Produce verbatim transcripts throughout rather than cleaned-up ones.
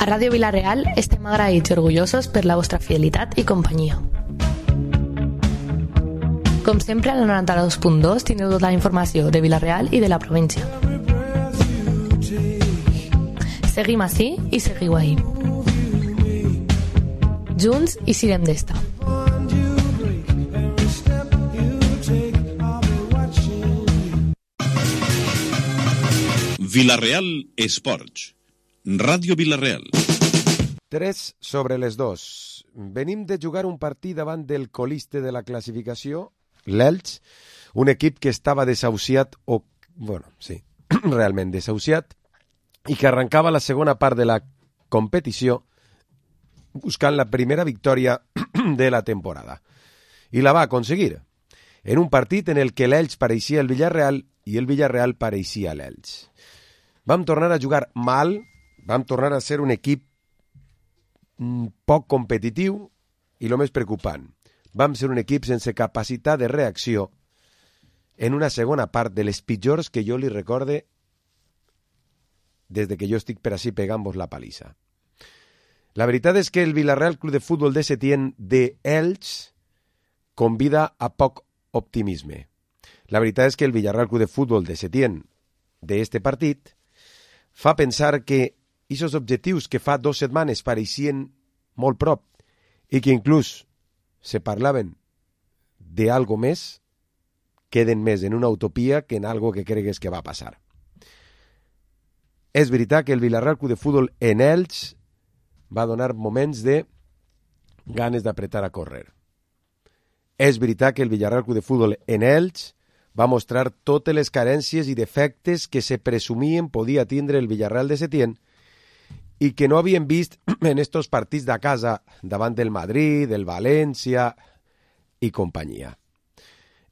A Ràdio Vila-real estem agraïts i orgullosos per la vostra fidelitat i companyia. Com sempre, a la noranta-dos punt dos tindreu tota la informació de Vila-real i de la província. Seguim ací i seguiu ahí. Junts i sirem d'esta. Vila-real Esports. Ràdio Vila-real. tres sobre les dos. Venim de jugar un partit davant del coliste de la classificació, l'Elx, un equip que estava desahuciat, o, bueno, sí, realment desahuciat, i que arrencava la segona part de la competició buscant la primera victòria de la temporada. I la va aconseguir, en un partit en el que l'Elx pareixia el Villarreal i el Villarreal pareixia l'Elx. Vam tornar a jugar mal, vam tornar a ser un equip poc competitiu i el més preocupant, vam ser un equip sense capacitat de reacció en una segona part de les pitjors que jo li recorde des de que jo estic per ací pegant-vos la palissa. La veritat és que el Villarreal Club de Futbol de Setién de Elx convida a poc optimisme. La veritat és que el Villarreal Club de Futbol de Setién d'este partit fa pensar que aquests objectius que fa dues setmanes pareixien molt prop i que inclús se parlaven d'algo més, queden més en una utopia que en algo que cregues que va passar. És veritat que el Villarreal Club de Futbol en Elx va donar moments de ganes d'apretar a córrer. És veritat que el Villarreal Club de Futbol en Elx va mostrar totes les carències i defectes que se presumien podia tindre el Villarreal de Setién i que no havien vist en estos partits de casa davant del Madrid, del València i companyia.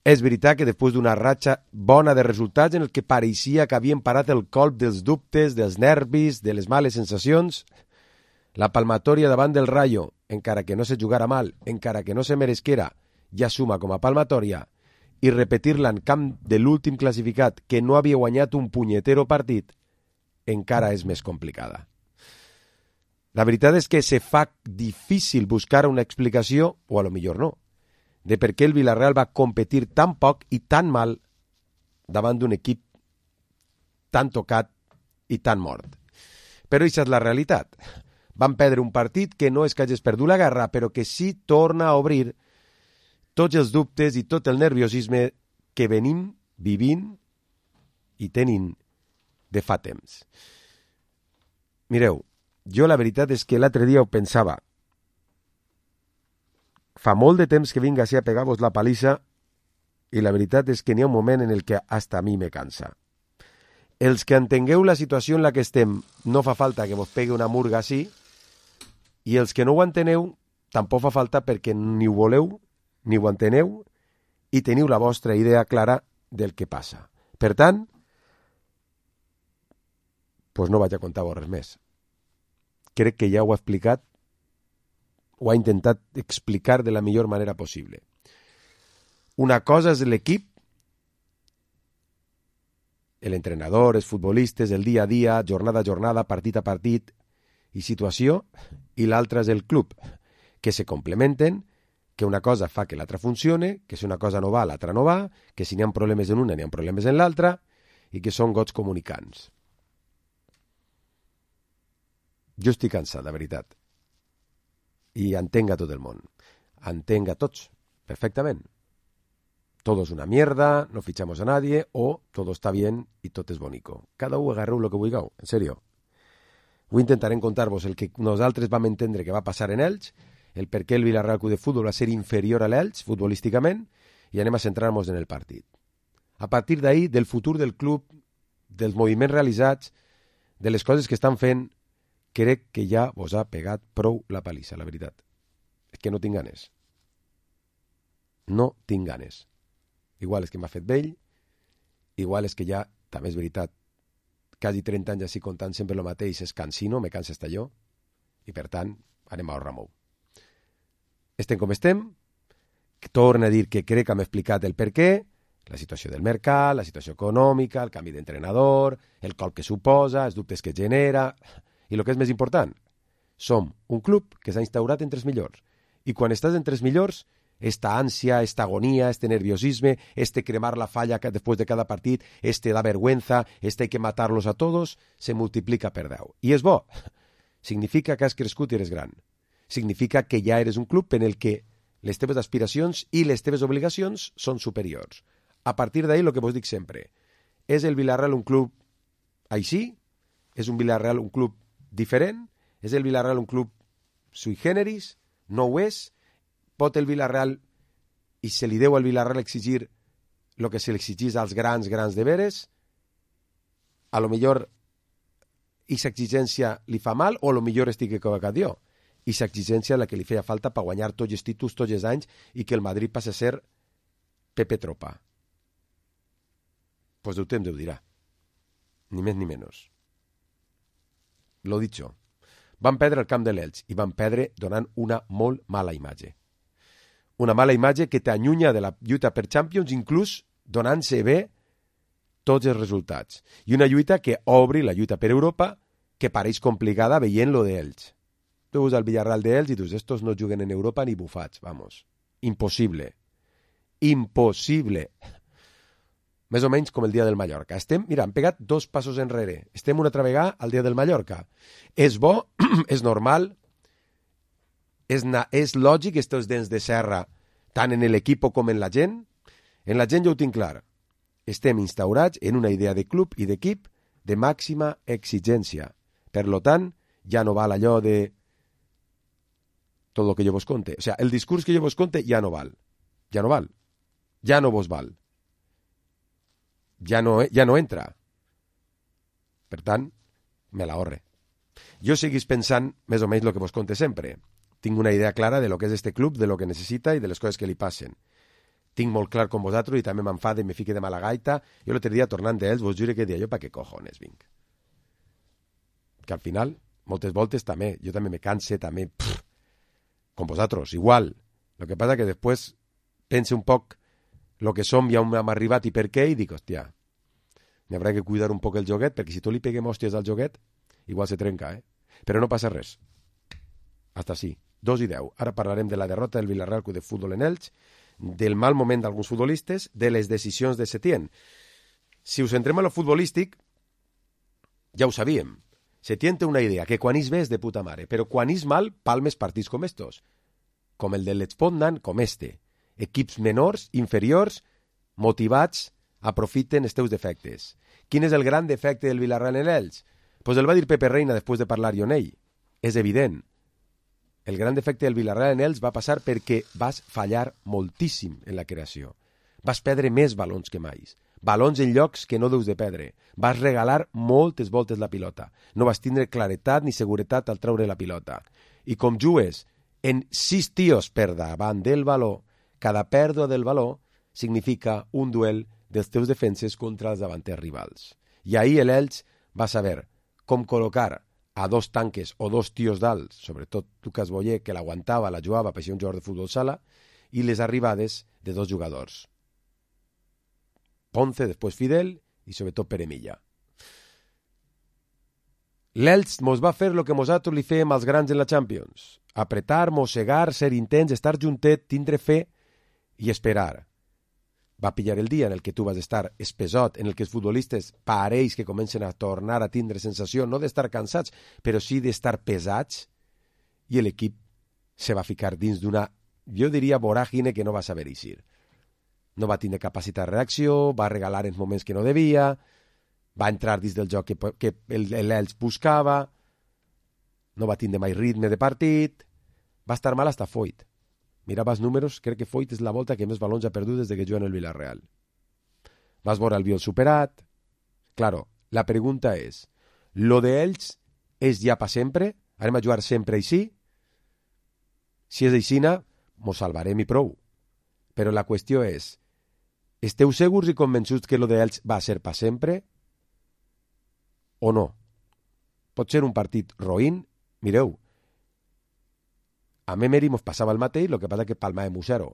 És veritat que després d'una ratxa bona de resultats en el que pareixia que havien parat el colp dels dubtes, dels nervis, de les males sensacions, la palmatòria davant del Rayo, encara que no se jugara mal, encara que no se meresquera, ja suma com a palmatòria, i repetir-la en camp de l'últim classificat que no havia guanyat un punyetero partit, encara és més complicada. La veritat és que se fa difícil buscar una explicació, o a lo millor no, de per què el Villarreal va competir tan poc i tan mal davant d'un equip tan tocat i tan mort. Però això és la realitat. Van perdre un partit que no és que hagis perdut la guerra, però que sí torna a obrir tots els dubtes i tot el nerviosisme que venim vivint i tenint de fa temps. Mireu, jo la veritat és que l'altre dia ho pensava. Fa molt de temps que vinc així a pegar-vos la palissa i la veritat és que n'hi ha un moment en el que hasta a mi me cansa. Els que entengueu la situació en la que estem no fa falta que vos pegui una murga així i els que no ho enteneu tampoc fa falta perquè ni ho voleu ni ho enteneu i teniu la vostra idea clara del que passa. Per tant, doncs no vaig a contar-vos res més. Crec que ja ho ha explicat, ho ha intentat explicar de la millor manera possible. Una cosa és l'equip, l'entrenador, els futbolistes, el dia a dia, jornada a jornada, partit a partit i situació, i l'altra és el club, que se complementen, que una cosa fa que l'altra funcione, que si una cosa no va, l'altra no va, que si n'hi ha problemes en una, n'hi ha problemes en l'altra, i que són gots comunicants. Jo estic cansat, de veritat. I entenc a tot el món. Entenc a tots, perfectament. Todo es una mierda, no fichamos a nadie, o todo está bien y todo es bonico. Cada un agarreu lo que vulgueu, en serio. Avui intentarem contar-vos el que nosaltres vam entendre que va passar en Elx, el per què el Villarreal Club de Futbol va ser inferior a l'Elx, futbolísticament, i anem a centrar-nos en el partit. A partir d'ahir, del futur del club, dels moviments realitzats, de les coses que estan fent, crec que ja vos ha pegat prou la palissa, la veritat. És que no tinc ganes. No tinc ganes. Igual és que m'ha fet vell, igual és que ja, també és veritat, quasi trenta anys així contant sempre el mateix, és cansino, me cansa estar jo, i per tant, anem a Ramou. Estem com estem, torno a dir que crec que hem explicat el per què, la situació del mercat, la situació econòmica, el canvi d'entrenador, el colp que suposa, els dubtes que genera, i el que és més important, Som un club que s'ha instaurat entre els millors. I quan estàs entre els millors, esta ànsia, esta agonía, este nerviosisme, este cremar la falla después de cada partit, este da vergüenza, este hay que matarlos a todos, se multiplica per deu. I és bo. Significa que has crescut i eres gran. Significa que ja eres un club en el que les teves aspiracions i les teves obligacions són superiors. A partir d'ahí, el que vos dic sempre, és el Villarreal un club així? És un Villarreal un club diferent? És el Villarreal un club sui generis? No ho és? Pot el Villarreal, i se li deu al Villarreal exigir el que se li exigís als grans, grans de veres? A lo millor aquesta exigència li fa mal o a lo millor estic equivocat jo? Aquesta exigència la que li feia falta per guanyar tots els títols, tots els anys i que el Madrid passi a ser Pepe Tropa. Pues el temps ho dirà. Ni més ni menys. Lo dicho. Van perdre el camp de l'Elx i van perdre donant una molt mala imatge. Una mala imatge que t'allunya de la lluita per Champions, inclús donant-se bé tots els resultats. I una lluita que obri la lluita per Europa, que pareix complicada veient lo d'Elx. Tu veus el Villarreal d'Elx i dius, estos no juguen en Europa ni bufats, vamos. Impossible. Impossible. Més o menys com el dia del Mallorca. Estem, mira, hem pegat dos passos enrere. Estem una altra vegada al dia del Mallorca. És bo, és normal, és, na, és lògic estos dents de serra tant en l'equip com en la gent. En la gent jo ho tinc clar. Estem instaurats en una idea de club i d'equip de màxima exigència. Per lo tant, ja no val allò de tot el que jo vos conte. O sea, el discurs que jo vos conte ja no val. Ja no val. Ja no vos val. Ja no, ja no entra. Per tant, me l'ahorre. Jo seguís pensant més o menys el que vos conte sempre. Tinc una idea clara de lo que és este club, de lo que necessita i de les coses que li passen. Tinc molt clar com vosaltres i també m'enfade i me fique de mala gaita. Jo l'altre dia, tornant d'ells, vos jure que dia jo, pa què cojones vinc? Que al final, moltes voltes també, jo també me canse, també, pff, com vosaltres, igual. Lo que passa que després pense un poc lo que som i on hem arribat i per què, i dic, hòstia, m'haurà que cuidar un poc el joguet, perquè si tu li peguem hòsties al joguet, igual se trenca, eh? Però no passa res. Hasta sí. Dos i deu. Ara parlarem de la derrota del Villarreal Club de Futbol en Elx, del mal moment d'alguns futbolistes, de les decisions de Setién. Si us centrem en lo futbolístic, ja ho sabíem. Setién té una idea, que quan és bé és de puta mare, però quan és mal, palmes partits com estos. Com el de l'Espotnan, com este. Equips menors, inferiors, motivats, aprofiten els teus defectes. Quin és el gran defecte del Villarreal en Elx? Pues el va dir Pepe Reina després de parlar-hi amb ell. És evident. El gran defecte del Villarreal en Elx va passar perquè vas fallar moltíssim en la creació. Vas perdre més balons que mai. Balons en llocs que no deus de perdre. Vas regalar moltes voltes la pilota. No vas tindre claretat ni seguretat al treure la pilota. I com jugues en sis tios per davant del baló, cada pèrdua del baló significa un duel dels teus defenses contra els davanters rivals. I ahir l'Elx va saber com col·locar a dos tanques o dos tios dalt, sobretot Lucas Boyer, que l'aguantava, la jugava per ser un jugador de futbol sala, i les arribades de dos jugadors. Ponce, després Fidel, i sobretot Pere Milla. L'Elx mos va fer el que nosaltres li fèiem als grans en la Champions. Apretar, mossegar, ser intens, estar juntet, tindre fe i esperar. Va pillar el dia en el que tu vas estar espesot, en el que els futbolistes pareix que comencen a tornar a tindre sensació, no d'estar cansats, però sí d'estar pesats, i l'equip se va ficar dins d'una, jo diria, voràgine que no va saber eixir. No va tindre capacitat de reacció, va regalar en moments que no devia, va entrar dins del joc que, que l'Elx buscava, no va tindre mai ritme de partit, va estar mal hasta Foyt. Mirava els números, crec que Foyt és la volta que més balons ha perdut des de que juga en el Villarreal. Vas veure el Biol superat. Claro, la pregunta és, lo de Elx és ja pa sempre? Anem a jugar sempre així? Si és aixina, mos salvarem i prou. Però la qüestió és, esteu segurs i convençuts que lo de Elx va ser pa sempre? O no? Pot ser un partit roïn? Mireu, a Memery mos passava el mateix, el que passa que palmàvem un zero.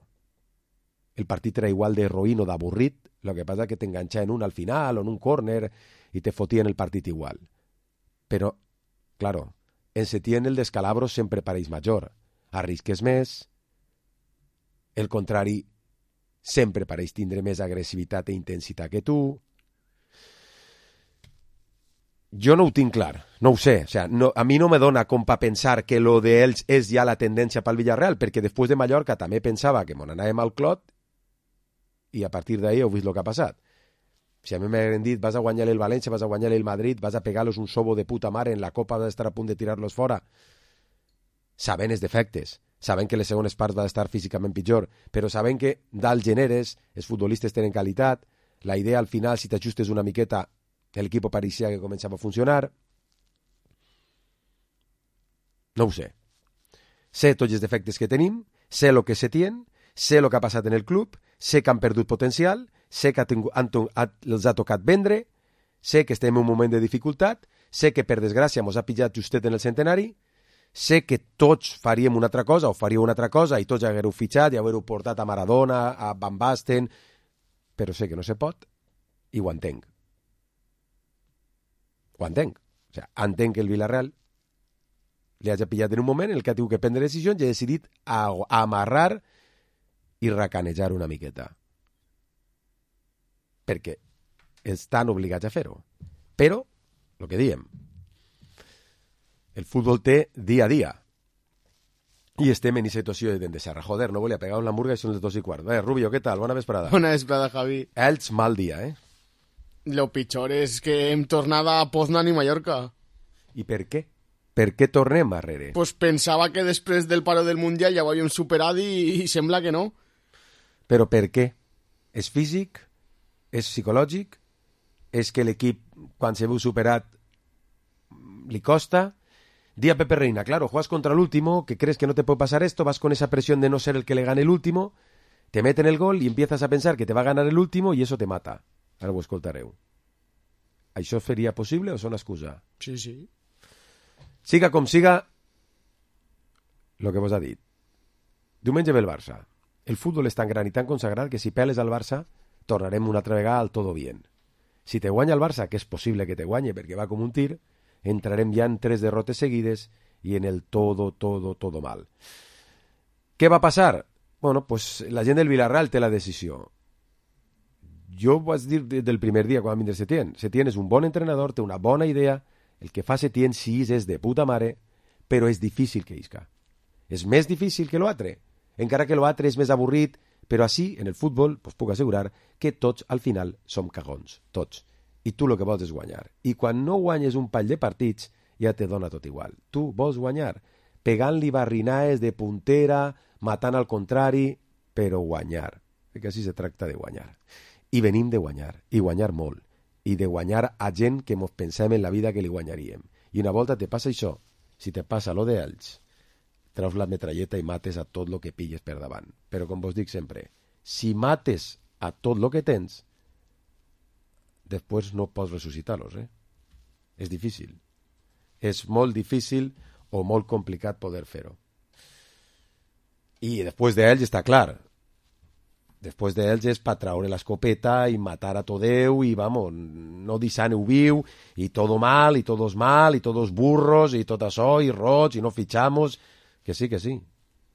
El partit era igual de roïn o d'avorrit, el que passa que t'enganxaven un al final o en un córner i te fotien el partit igual. Però, claro, en Setién el descalabro sempre pareix major. Arrisques més, el contrari sempre pareix tindre més agressivitat i intensitat que tu. Jo no ho tinc clar, no ho sé. O sea, no, a mi no me dona com per pensar que lo de ells és ja la tendència pel Villarreal, perquè després de Mallorca també pensava que mon anàvem al clot i a partir d'ahí heu vist el que ha passat. Si a mi m'hagueren dit vas a guanyar el València, vas a guanyar el Madrid, vas a pegar-los un sobo de puta mare en la Copa, vas a estar a punt de tirar-los fora, saben els defectes, saben que les segones parts va estar físicament pitjor, però saben que dalt generes, els futbolistes tenen qualitat, la idea al final, si t'ajustes una miqueta, l'equip pareixia que començava a funcionar. No ho sé. Sé tots els defectes que tenim, sé el que se tien, sé el que ha passat en el club, sé que han perdut potencial, sé que han, han, els ha tocat vendre, sé que estem en un moment de dificultat, sé que per desgràcia mos ha pillat justet en el centenari, sé que tots faríem una altra cosa o faríeu una altra cosa i tots haguereu fitxat i haguereu portat a Maradona, a Van Basten, però sé que no se pot i ho entenc. Ho entenc. O sigui, entenc que el Villarreal li hagi pillat en un moment en el que ha tingut que prendre decisions i ha decidit a, a amarrar i racanejar una miqueta. Perquè estan obligats a fer-ho. Però, el que diem, el futbol té dia a dia. I estem en situació de serra. Joder, no volia pegar una hamburga i són les dos i quart. Eh, Rubio, què tal? Bona vesprada. Bona vesprada, Javi. Ells, mal dia, eh? Lo pitjor és que hem tornat a Poznan i Mallorca. I per què? Per què tornem arrere? Pues pensava que després del paro del Mundial ja ho havíem superat i, i sembla que no. Però per què? És físic? És psicològic? És que l'equip, quan se veu superat, li costa? Di a Pepe Reina, claro, juegas contra el último, que crees que no te puede pasar esto, vas con esa presión de no ser el que le gane el último, te meten el gol y empiezas a pensar que te va a ganar el último y eso te mata. Ara ho escoltareu. Això seria possible o són excusa? Sí, sí. Siga com siga, el que vos ha dit. Diumenge ve el Barça. El futbol és tan gran i tan consagrat que si peles al Barça, tornarem una altra vegada al todo bien. Si te guanya el Barça, que és possible que te guanye perquè va com un tir, entrarem ja en tres derrotes seguides i en el todo, todo, todo mal. Què va passar? Bueno, pues la gent del Villarreal té la decisió. Jo ho vaig dir del primer dia quan va vindre Setién. Setién és un bon entrenador, té una bona idea, el que fa Setién sí és de puta mare, però és difícil que isca. És més difícil que l'altre, encara que l'altre és més avorrit, però així, en el futbol, pues puc assegurar que tots al final som cagons, tots. I tu el que vols és guanyar. I quan no guanyes un pall de partits, ja te dona tot igual. Tu vols guanyar, pegant-li barrinaes de puntera, matant al contrari, però guanyar. Perquè així se tracta de guanyar. I venim de guanyar, i guanyar molt, i de guanyar a gent que mos pensem en la vida que li guanyaríem. I una volta te passa això, si te passa lo d'ells, treus la metralleta i mates a tot lo que pilles per davant. Però com vos dic sempre, si mates a tot lo que tens, després no pots ressuscitar-los, eh? És difícil. És molt difícil o molt complicat poder fer-ho. I després d'ells està clar. Després d'ells és per traure l'escopeta i matar a tot Déu i, vamos, no deixant-ho viu i tot mal, i todos mal, i todos burros, i tot això, i roig, i no fitxamos. Que sí, que sí.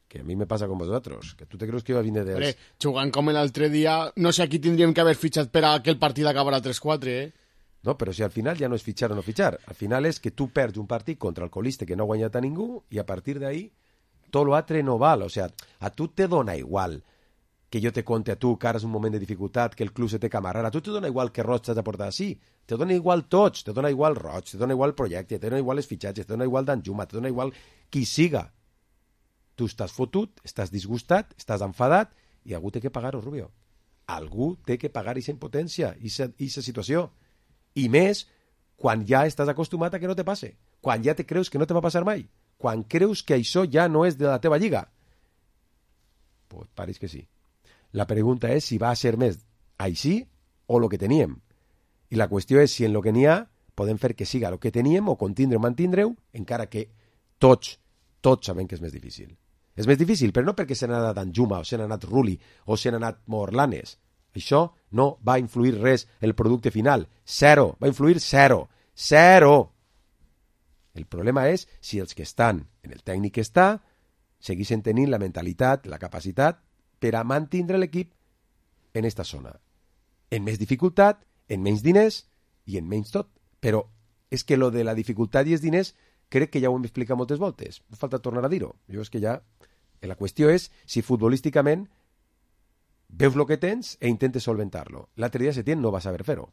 Que a mi me passa com vosaltres. Que tu te creus que iba a vindre dels... Hombre, jugant com l'altre dia, no sé a qui tindríem que haver fitxat per a que el partit acabara tres quatre, eh? No, però si al final ja no és fitxar o no fitxar. Al final és que tu perds un partit contra el colista que no ha guanyat a ningú i a partir d'ahí tot l'altre no val. O sea, a tu te dona igual que jo te conte a tu que ara és un moment de dificultat, que el club se té que amarrar. A tu te dona igual que Roig t'has de portar així. Te dona igual tots. Te dona igual Roig, te dona igual el projecte, te dona igual els fitxatges, te dona igual Danjuma, te dona igual qui siga. Tu estàs fotut, estàs disgustat, estàs enfadat i algú té que pagar-ho, Rubio. Algú té que pagar aquesta impotència, aquesta situació. I més quan ja estàs acostumat a que no te passe. Quan ja te creus que no te va passar mai. Quan creus que això ja no és de la teva lliga. Pues pareix que sí. La pregunta és si va a ser més així o el que teníem. I la qüestió és si en el que n'hi ha podem fer que siga el que teníem o contindre o mantindre-ho, encara que tots, tots sabem que és més difícil. És més difícil, però no perquè se n'ha anat Danjuma, o se n'ha anat Rulli, o se n'ha anat Morlanes. Això no va influir res en el producte final. Zero. Va influir zero. Zero. El problema és si els que estan en el tècnic que està segueixen tenint la mentalitat, la capacitat per a mantindre l'equip en esta zona. En més dificultat, en menys diners i en menys tot. Però és que lo de la dificultat i els diners crec que ja ho hem explicat moltes voltes. No falta tornar a dir-ho. Jo és que ja... La qüestió és si futbolísticament veus el que tens e intentes solventar-lo. L'altre dia Setién no va saber fer-ho.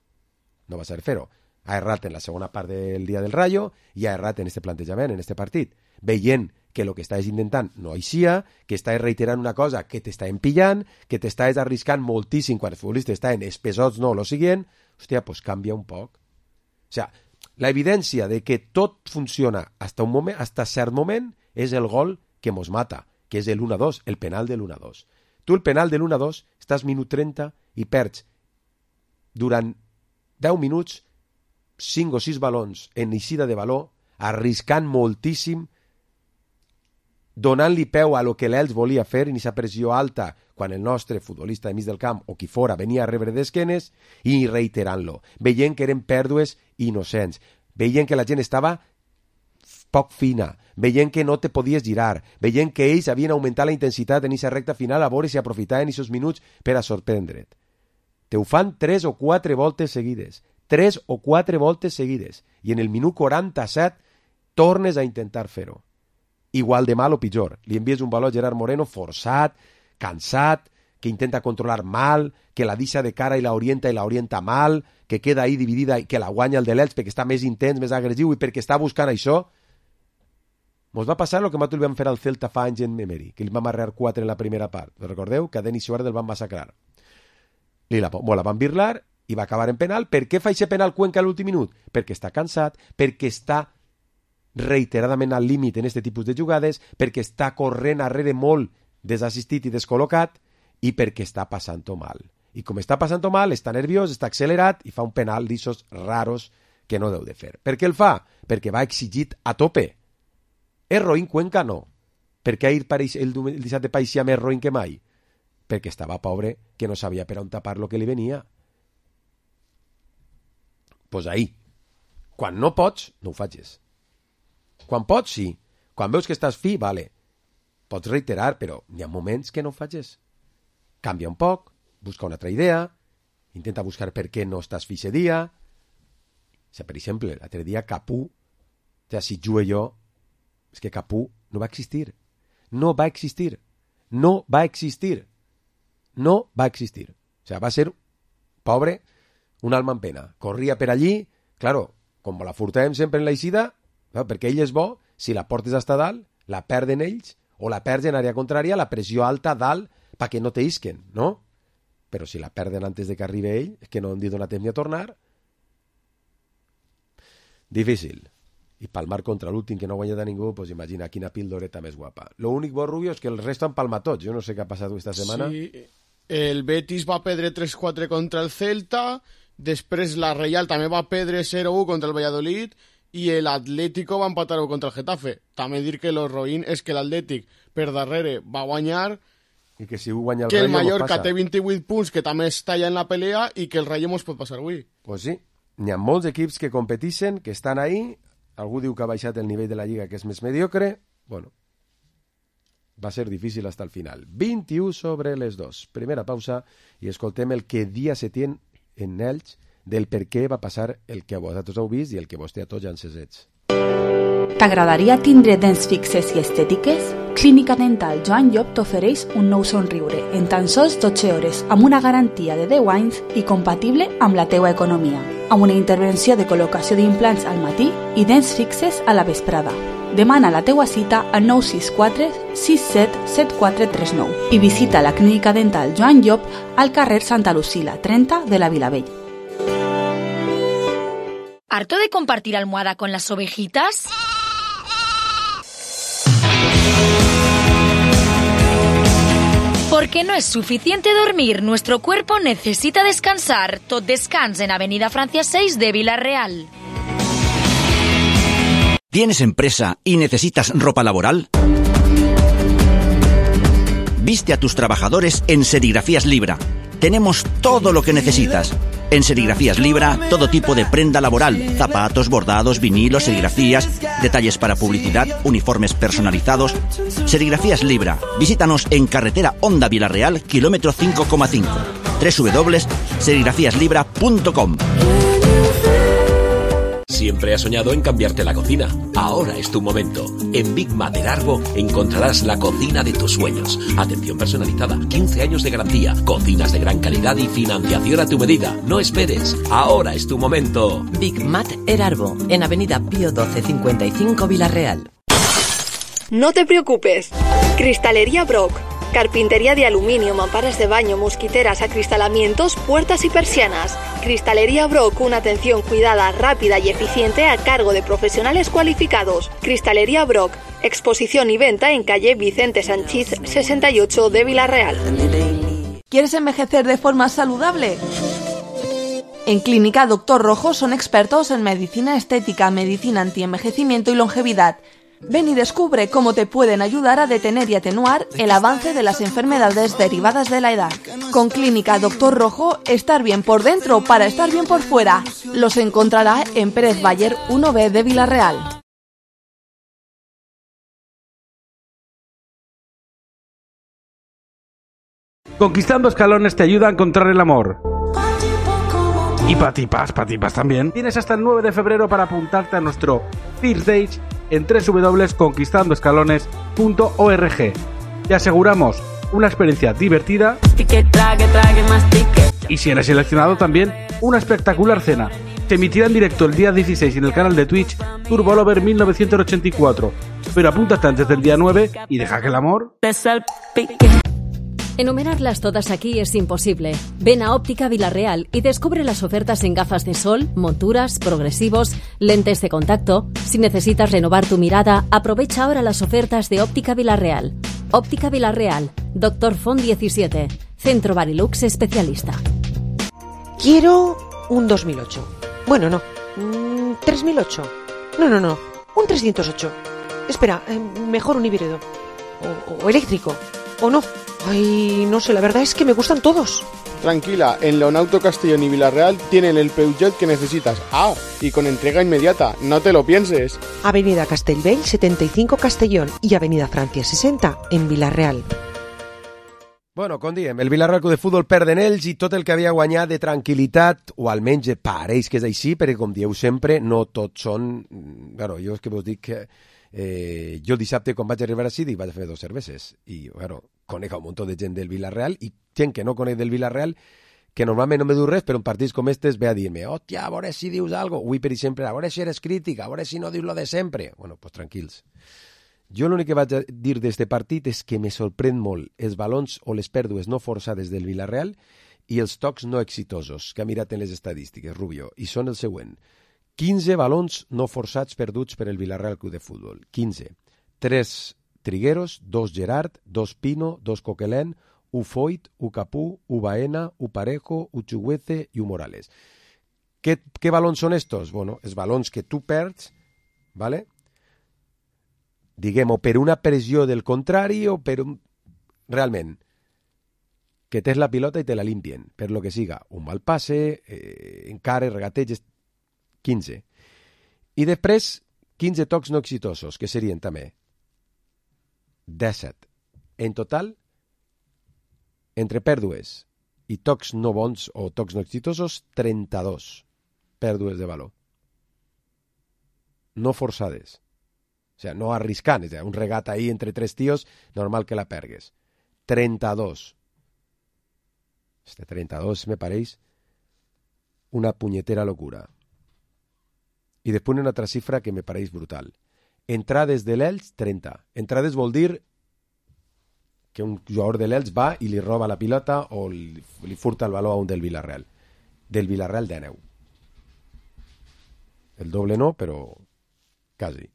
No va saber fer-ho. Ha errat en la segona part del dia del Rayo i ha errat en este plantejament, en este partit. Veient que el que estàs intentant no eixia, que estàs reiterant una cosa que t'està empillant, que t'estàs arriscant moltíssim quan el futbolista està en espesots, no, lo siguiente, hòstia, pues canvia un poc. O sea, la evidència de que tot funciona hasta un moment, hasta cert moment, és el gol que mos mata, que és el uno a dos, el penal del uno a dos. Tu el penal del uno a dos, estàs minut trenta i perds durant deu minuts cinc o sis balons en eixida de baló, arriscant moltíssim, donant-li peu a lo que l'Elx volia fer en aquesta pressió alta quan el nostre futbolista de mig del camp o qui fora venia a rebre d'esquenes i reiterant-lo, veient que eren pèrdues innocents, veient que la gent estava poc fina, veient que no te podies girar, veient que ells havien augmentat la intensitat en aquesta recta final a veure si aprofitaven aquests minuts per a sorprendre't. Te ho fan tres o quatre voltes seguides, tres o quatre voltes seguides, i en el minut quaranta-set tornes a intentar fer-ho. Igual de mal o pitjor. Li envies un baló a Gerard Moreno forçat, cansat, que intenta controlar mal, que la deixa de cara i la orienta i la orienta mal, que queda ahí dividida i que la guanya el de l'Elx perquè està més intens, més agressiu i perquè està buscant això. Mos va passar el que nosaltres li vam fer al Celta fa anys en Emery, que li vam arrear quatre en la primera part. Recordeu que a Denis Suárez el van massacrar. Li la, bueno, la van birlar i va acabar en penal. Per què fa aquest penal Cuenca a l'últim minut? Perquè està cansat, perquè està reiteradament al límit en aquest tipus de jugades, perquè està corrent arrere molt desassistit i descol·locat i perquè està passant-ho mal. I com està passant-ho mal, està nerviós, està accelerat i fa un penal d'ixos raros que no deu de fer. Per què el fa? Perquè va exigit a tope. És roïn Cuenca? No. Per què ahir pareix, el dissabte pareixia més roïn que mai? Perquè estava pobre, que no sabia per on tapar lo que li venia. Pues ahí. Quan no pots, no ho facis. Quan pots, sí. Quan veus que estàs fi, vale. Pots reiterar, però hi ha moments que no ho facis. Canvia un poc, busca una altra idea, intenta buscar per què no estàs fi ese dia. O sigui, per exemple, l'altre dia Capú, o sigui, si jugue jo, és que Capú no va existir. No va existir. No va existir. No va existir. O sigui, va ser, pobre, un alma en pena. Corria per allí, claro, com la furtàvem sempre en l'eixida, no? Perquè ell és bo, si la portes hasta dalt, la perden ells, o la perds en àrea contrària, la pressió alta dalt, perquè no te isquen, no? Però si la perden antes de que arribi ell, és que no han dit donar temps ni a tornar. Difícil. I palmar contra l'últim que no guanya de ningú, pues imagina quina pildoreta més guapa. Lo únic bo, Rubio, és que el resto han palmat tots. Jo no sé què ha passat aquesta setmana. Sí, el Betis va perdre tres quatre contra el Celta, després la Reial també va perdre zero u contra el Valladolid i l'Atlético va empatar contra el Getafe. També dir que lo roïn és que l'Atlètic per darrere va guanyar i que si guanya el que el Rayo Mallorca té vint-i-vuit punts, que també està allà en la pelea i que el Rayo mos pot passar avui. Pues sí, n'hi ha molts equips que competeixen, que estan ahí. Algú diu que ha baixat el nivell de la Lliga, que és més mediocre. Bueno, va ser difícil hasta el final. vint-i-u sobre les dos. Primera pausa i escoltem el que dia Setién en Elx del per què va passar el que vosaltres heu vist i el que vostè a tots ja encesets. T'agradaria tindre dents fixes i estètiques? Clínica Dental Joan Llop t'ofereix un nou somriure en tan sols dotze hores amb una garantia de deu anys i compatible amb la teua economia, amb una intervenció de col·locació d'implants al matí i dents fixes a la vesprada. Demana la teua cita al nou sis quatre sis set set quatre tres nou i visita la Clínica Dental Joan Llop al carrer Santa Lucila, trenta de la Vilavell. ¿Harto de compartir almohada con las ovejitas? Porque no es suficiente dormir, nuestro cuerpo necesita descansar. Tot Descans en Avenida Francia seis de Vila-real. ¿Tienes empresa y necesitas ropa laboral? Viste a tus trabajadores en Serigrafías Libra. Tenemos todo lo que necesitas. En Serigrafías Libra, todo tipo de prenda laboral, zapatos, bordados, vinilos, serigrafías, detalles para publicidad, uniformes personalizados. Serigrafías Libra. Visítanos en carretera Honda Vilarreal, kilómetro cinco coma cinco. doble u doble u doble u punto serigrafías libra punto com. Siempre has soñado en cambiarte la cocina. Ahora es tu momento. En Big Mater Arbo encontrarás la cocina de tus sueños. Atención personalizada, quince años de garantía, cocinas de gran calidad y financiación a tu medida. No esperes. Ahora es tu momento. Big Mater Arbo, en Avenida Pío doce cincuenta y cinco Vilarreal. No te preocupes. Cristalería Brock. Carpintería de aluminio, mamparas de baño, mosquiteras, acristalamientos, puertas y persianas. Cristalería Brock, una atención cuidada, rápida y eficiente a cargo de profesionales cualificados. Cristalería Brock, exposición y venta en calle Vicente Sanchís sesenta y ocho de Vilarreal. ¿Quieres envejecer de forma saludable? En Clínica Doctor Rojo son expertos en medicina estética, medicina antienvejecimiento y longevidad. Ven y descubre cómo te pueden ayudar a detener y atenuar el avance de las enfermedades derivadas de la edad. Con Clínica Doctor Rojo, estar bien por dentro para estar bien por fuera. Los encontrará en Pérez Bayer uno B de Vilarreal. Conquistando Escalones te ayuda a encontrar el amor. Y patipas, patipas también. Tienes hasta el nueve de febrero para apuntarte a nuestro First Dates en doble u doble u doble u punto conquistando escalones punto org. Te aseguramos una experiencia divertida y si eres seleccionado también una espectacular cena. Se emitirá en directo el día dieciséis en el canal de Twitch Turbo Lover mil novecientos ochenta y cuatro. Pero apúntate antes del día nueve y deja que el amor... Enumerarlas todas aquí es imposible. Ven a Óptica Vilarreal y descubre las ofertas en gafas de sol, monturas, progresivos, lentes de contacto. Si necesitas renovar tu mirada, aprovecha ahora las ofertas de Óptica Vilarreal. Óptica Vilarreal, Doctor Font diecisiete, Centro Barilux especialista. Quiero un dos mil ocho. Bueno, no. Mm, tres mil ocho. No, no, no. Un trescientos ocho. Espera, eh, mejor un híbrido. O, o eléctrico. O no. Ay, no sé, la verdad es que me gustan todos. Tranquila, en Leonauto Castellón y Vilarreal tienen el Peugeot que necesitas. Ah, y con entrega inmediata, no te lo pienses. Avenida Castellbell setenta y cinco Castellón y Avenida Francia sesenta en Vilarreal. Bueno, com diem, el Vilarreal Club de Futbol perd en ells i tot el que havia guanyat de tranquil·litat, o almenys pareix que és així, perquè com dieu sempre, no tots són... Claro, jo és que vos dic que... Eh, jo dissabte quan vaig arribar així dic, vaig a fer dos cerveses i bueno, conec un munt de gent del Vilarreal i gent que no conec del Vilarreal que normalment no me diu res, però en partits com estes ve a dir-me, hòstia, a veure si dius algo. Avui, per exemple, a veure si eres crític, a veure si no dius lo de sempre. Bueno, pues tranquils. Jo l'únic que vaig a dir d'este partit és que me sorprèn molt els balons o les pèrdues no forçades del Vilarreal i els tocs no exitosos, que ha mirat en les estadístiques, Rubio, i són el següent. quinze balons no forçats perduts per el Vilarreal Club de Futbol. quinze. tres Trigueros, dos Gerard, dos Pino, dos Coquelin, un Foyt, un Capú, un Baena, un Parejo, un Chuguece i un Morales. Què, què balons són estos? Bueno, els balons que tu perds, ¿vale? Diguem, o per una pressió del contrari o per un... Realment, que tens la pilota i te la limpien, per lo que siga. Un mal passe, eh, encare, regateig... quinze. I després, quinze tocs no exitosos, que serien també disset. En total, entre pèrdues i tocs no bons o tocs no exitosos, trenta-dos pèrdues de valor. No forçades. O sigui, no arriscant. O sigui, un regat ahí entre tres tios, normal que la pergues. trenta-dos. Este trenta-dos me pareix una punyetera locura. I després una altra xifra que me pareix brutal. Entrades de l'Elx, trenta. Entrades vol dir que un jugador de l'Elx va i li roba la pilota o li, li furta el valor a un del Vilarreal. Del Vilarreal, dinou. El doble no, però quasi.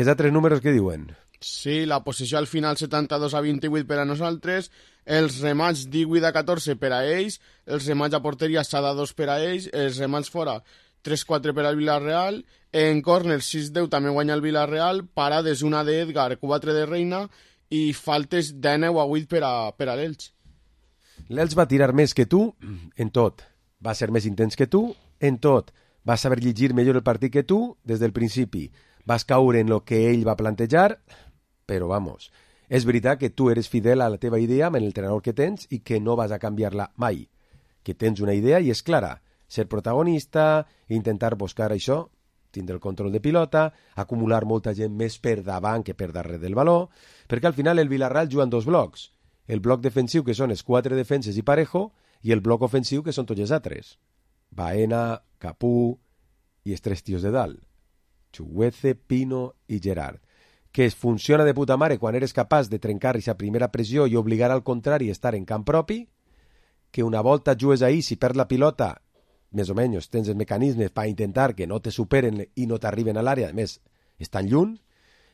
Els altres números que diuen? Sí, la posició al final setanta-dos a vint-i-vuit per a nosaltres, els remats divuit a catorze per a ells, els remats a porteria set a dos per a ells, els remats fora tres quatre per al Vilarreal, en córner sis deu també guanya el Vilarreal, parades una d'Edgar, quatre de Reina i faltes de nou a vuit per a, per a l'Elx. L'Elx va tirar més que tu en tot. Va ser més intens que tu en tot. Vas saber llegir millor el partit que tu des del principi. Vas caure en lo que ell va plantejar, però vamos, és veritat que tu eres fidel a la teva idea amb l'entrenador que tens i que no vas a canviar-la mai. Que tens una idea i és clara. Ser protagonista, intentar buscar això, tindre el control de pilota, acumular molta gent més per davant que per darrere del valor, perquè al final el Villarreal juga en dos blocs. El bloc defensiu, que són els quatre defenses i Parejo, i el bloc ofensiu, que són tots els altres. Baena, Capú i els tres tios de dalt. Chuguece, Pino i Gerard. Que es funciona de puta mare quan eres capaç de trencar aquesta primera pressió i obligar al contrari a estar en camp propi, que una volta jugues ahí, si perds la pilota, més o menys tens els mecanismes per intentar que no te superen i no t'arriben a l'àrea, a més, estan lluny,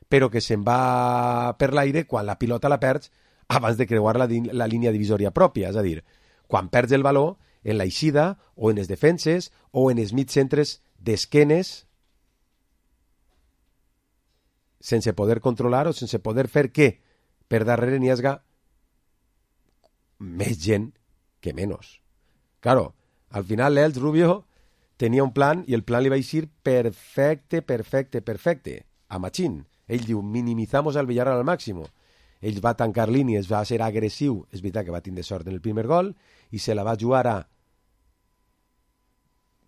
però que se'n va per l'aire quan la pilota la perds abans de creuar la, la línia divisòria pròpia, és a dir, quan perds el valor en l'eixida o en les defenses o en els mig centres d'esquenes sense poder controlar o sense poder fer que per darrere n'hi hagi més gent que menys. Claro, al final l'Elx Rubio tenia un plan i el plan li va eixir perfecte, perfecte, perfecte. A Machín. Ell diu, minimizamos al Villarreal al màxim. Ell va tancar línies, va ser agressiu. És veritat que va tindre sort en el primer gol i se la va jugar a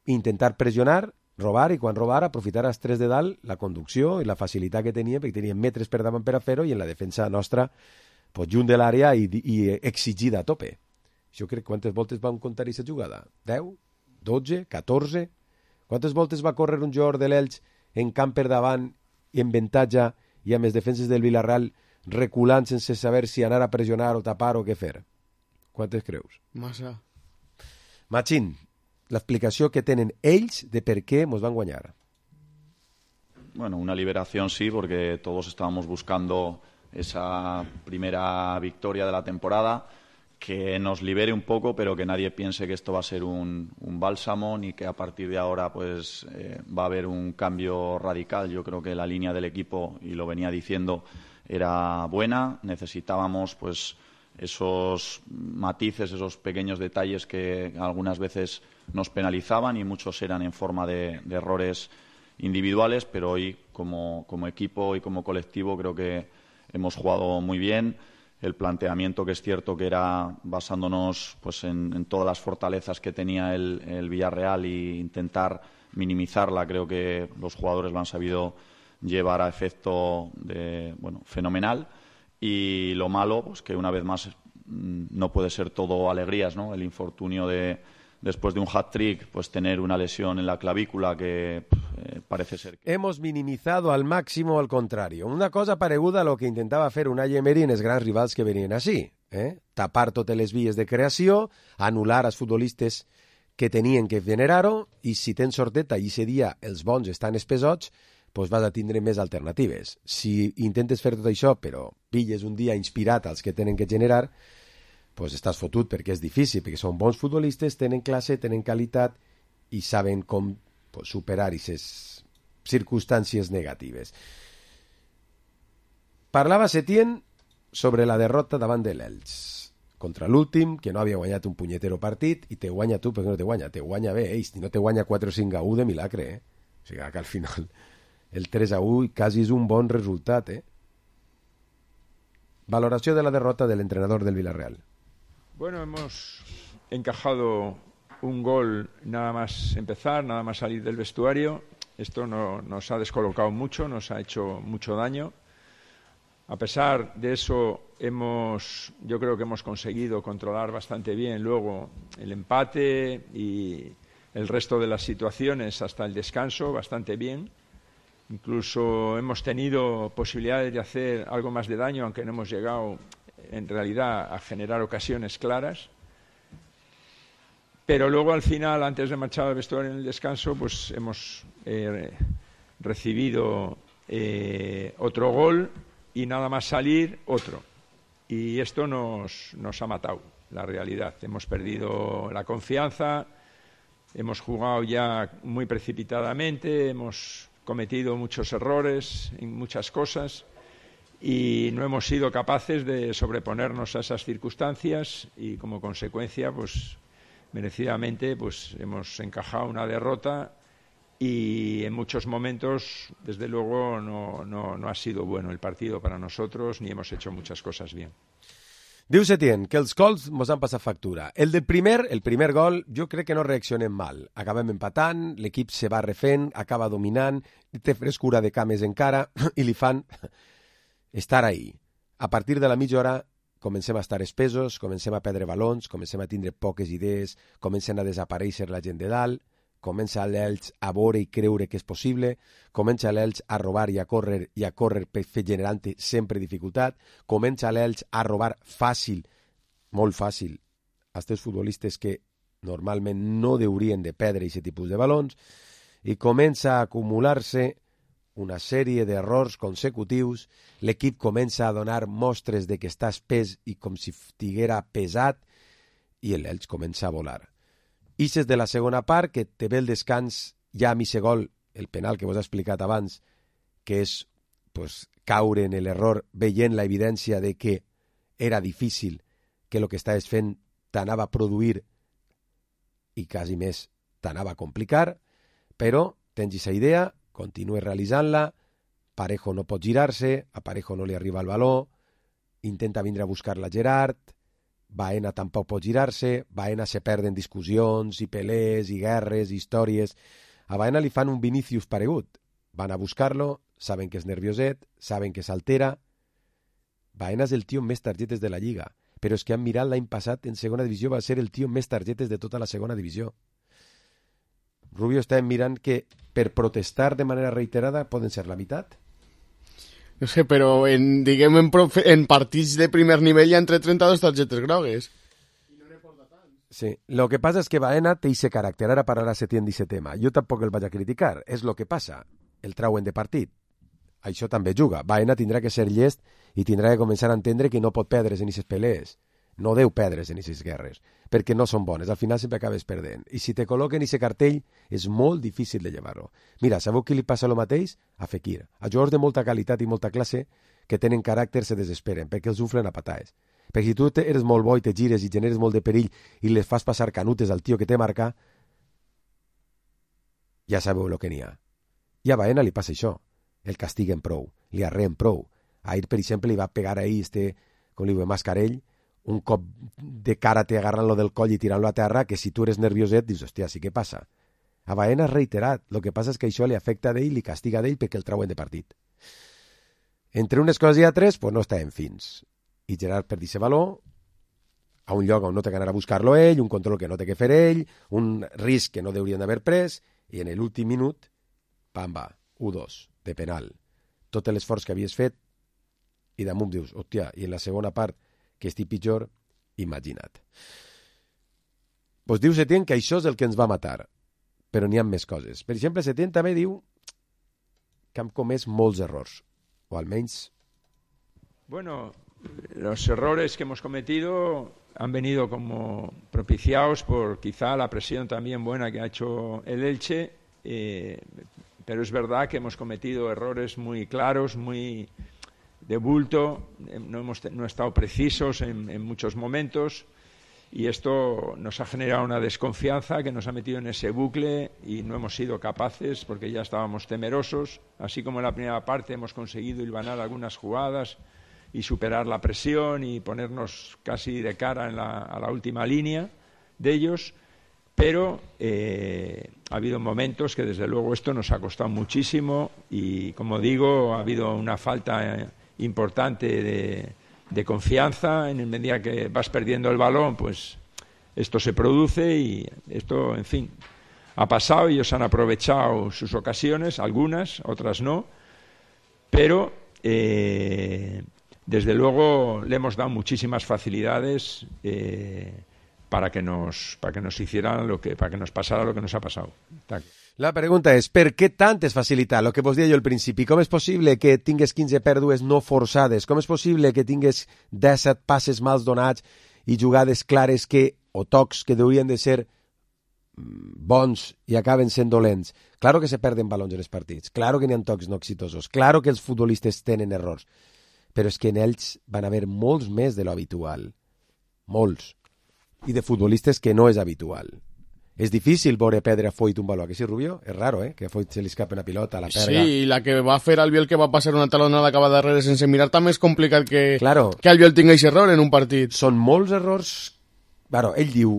intentar pressionar, robar, i quan robar aprofitar els tres de dalt la conducció i la facilitat que tenia, perquè tenien metres per davant per a fer-ho, i en la defensa nostra pues, junt de l'àrea i, i exigida a tope. Jo crec quantes voltes vam comptar aquesta jugada? deu? dotze? catorze? Quantes voltes va córrer un jugador de l'Elx en camp per davant i en avantatge i amb les defenses del Villarreal reculant sense saber si anar a pressionar o tapar o què fer? Quantes creus? Massa. Machín, l'explicació que tenen ells de per què ens van guanyar. Bueno, una liberación sí, porque todos estábamos buscando esa primera victoria de la temporada, que nos libere un poco, pero que nadie piense que esto va a ser un, un bálsamo ni que a partir de ahora pues eh, va a haber un cambio radical. Yo creo que la línea del equipo, y lo venía diciendo, era buena. Necesitábamos pues esos matices, esos pequeños detalles que algunas veces nos penalizaban, y muchos eran en forma de, de errores individuales, pero hoy como, como equipo y como colectivo creo que hemos jugado muy bien. El planteamiento, que es cierto que era basándonos pues en, en todas las fortalezas que tenía el, el Villarreal e intentar minimizarla, creo que los jugadores lo han sabido llevar a efecto de, bueno, fenomenal. Y lo malo, pues que una vez más no puede ser todo alegrías, ¿no? El infortunio de, después de un hat-trick, pues tener una lesión en la clavícula que eh, parece ser... Que... Hemos minimizado al máximo al contrario. Una cosa pareguda a lo que intentava fer Unai Emery en els grans rivals que venien així. Eh? Tapar totes les vies de creació, anul·lar els futbolistes que tenien que generar-ho, i si tens sorteta i ese dia els bons estan espesots, pues vas a tindre més alternatives. Si intentes fer tot això, però pilles un dia inspirat als que tenen que generar, pues estàs fotut, perquè és difícil, perquè són bons futbolistes, tenen classe, tenen qualitat i saben com pues, superar aquestes circumstàncies negatives. Parlava Setién sobre la derrota davant de l'Elx contra l'últim, que no havia guanyat un punyetero partit, i te guanya tu, perquè no te guanya, te guanya bé, eh? Si no te guanya quatre o cinc a u de milagre, eh? O sigui que al final el tres a u quasi és un bon resultat, eh? Valoració de la derrota del entrenador del Villarreal. Bueno, hemos encajado un gol nada más empezar, nada más salir del vestuario. Esto no, nos ha descolocado mucho, nos ha hecho mucho daño. A pesar de eso, hemos, yo creo que hemos conseguido controlar bastante bien luego el empate y el resto de las situaciones hasta el descanso, bastante bien. Incluso hemos tenido posibilidades de hacer algo más de daño, aunque no hemos llegado en realidad a generar ocasiones claras. Pero luego al final, antes de marchar al vestuario en el descanso, pues hemos eh, recibido eh, otro gol y nada más salir otro. Y esto nos, nos ha matado, la realidad. Hemos perdido la confianza, hemos jugado ya muy precipitadamente, hemos cometido muchos errores en muchas cosas. y no hemos sido capaces de sobreponernos a esas circunstancias y como consecuencia, pues merecidamente, pues hemos encajado una derrota y en muchos momentos, desde luego, no, no, no ha sido bueno el partido para nosotros ni hemos hecho muchas cosas bien. Diu Setién que els gols mos han passat factura. El del primer, el primer gol, jo crec que no reaccionem mal. Acabem empatant, l'equip se va refent, acaba dominant, té frescura de cames encara i li fan estar ahí. A partir de la mitja hora comencem a estar espesos, comencem a perdre balons, comencem a tindre poques idees, comencen a desaparèixer la gent de dalt, comença l'Elx a veure i creure que és possible, comença l'Elx a robar i a córrer i a córrer per fer generant sempre dificultat, comença l'Elx a robar fàcil, molt fàcil, als teus futbolistes que normalment no haurien de perdre aquest tipus de balons, i comença a acumular-se una sèrie d'errors consecutius, l'equip comença a donar mostres de que està espès i com si estiguera pesat, i l'Elx comença a volar. Ixes de la segona part, que te ve el descans ja a mitja gol, el penal que vos he explicat abans, que és pues, caure en l'error veient la evidència de que era difícil, que el que estaves fent t'anava a produir i quasi més t'anava a complicar, però tens aquesta idea, continues realitzant-la, Parejo no pot girar-se, a Parejo no li arriba el baló, intenta vindre a buscar-la Gerard, Baena tampoc pot girar-se, Baena se perd en discussions i pelés i guerres i històries. A Baena li fan un Vinícius paregut. Van a buscar-lo, saben que és nervioset, saben que s'altera. Baena és el tio amb més targetes de la Lliga, però és que han mirat l'any passat en segona divisió, va ser el tio amb més targetes de tota la segona divisió. Rubio està mirant que per protestar de manera reiterada poden ser la meitat. No sé, però en, diguem, en, profe, en partits de primer nivell hi ha entre trenta-dos targetes grogues. Sí, lo que passa és que Baena té ese caràcter, ara parlarà Setién d'aquest tema. Jo tampoc el vaig a criticar, és lo que passa, el trauen de partit. Això també juga. Baena tindrà que ser llest i tindrà que començar a entendre que no pot perdre's en aquestes pelees. No deu perdre's en aquestes guerres, perquè no són bones, al final sempre acabes perdent. I si te col·loquen aquest cartell, és molt difícil de llevar-lo. Mira, sabeu qui li passa el mateix? A Fekir. A jugadors de molta qualitat i molta classe que tenen caràcter se desesperen, perquè els uflen a patades. Perquè si tu eres molt bo i te gires i generes molt de perill i les fas passar canutes al tio que te marca, ja sabeu el que n'hi ha. I a Baena li passa això. El castiguen prou, li arreen prou. Ahir, per exemple, li va pegar ahir este, com li diu, Mascarell, un cop de cara te agarran-lo del coll i tirant-lo a terra, que si tu eres nervioset, dius, hòstia, sí que passa. A Baena és reiterat, el que passa és que això li afecta d'ell, li castiga d'ell perquè el trauen de partit. Entre unes coses i altres, pues no estàvem fins. I Gerard perdi ese valor a un lloc on no té que anar a buscar-lo ell, un control que no té que fer ell, un risc que no haurien d'haver pres, i en l'últim minut, pamba, u dos, de penal. Tot l'esforç que havies fet, i damunt dius, hòstia, i en la segona part, que estic pitjor, imagina't. Pues diu Setién que això és el que ens va matar, però n'hi ha més coses. Per exemple, Setién també diu que hem comès molts errors, o almenys... Bueno, los errores que hemos cometido han venido como propiciados por quizá la presión también buena que ha hecho el Elche, eh, pero es verdad que hemos cometido errores muy claros, muy... de bulto, no hemos no estado precisos en, en muchos momentos y esto nos ha generado una desconfianza que nos ha metido en ese bucle y no hemos sido capaces porque ya estábamos temerosos, así como en la primera parte hemos conseguido hilvanar algunas jugadas y superar la presión y ponernos casi de cara en la, a la última línea de ellos, pero eh, ha habido momentos que desde luego esto nos ha costado muchísimo y, como digo, ha habido una falta eh, importante de, de confianza. En medida que vas perdiendo el balón, pues esto se produce y esto, en fin, ha pasado. Ellos han aprovechado sus ocasiones, algunas, otras no, pero eh, desde luego le hemos dado muchísimas facilidades eh, para que nos para que nos hicieran lo que para que nos pasara lo que nos ha pasado. La pregunta és, per què tantes facilitats? El que vos deia jo al principi, com és possible que tingues quinze pèrdues no forçades? Com és possible que tingues disset passes mals donats i jugades clares que, o tocs que haurien de ser bons i acaben sent dolents? Claro que se perden balons en els partits, claro que n'hi ha tocs no exitosos, claro que els futbolistes tenen errors, però és que en ells van haver molts més de lo habitual. Molts. I de futbolistes que no és habitual. És difícil veure perdre a Foyt un baló, que sí, Rubio? És raro, eh? Que a Foyt se li escape una pilota a la perga. Sí, i la que va fer Albiol, que va passar una talonada cap a darrere sense mirar, també és complicat que, claro, que Albiol tingui aquest error en un partit. Són molts errors. Bueno, ell diu,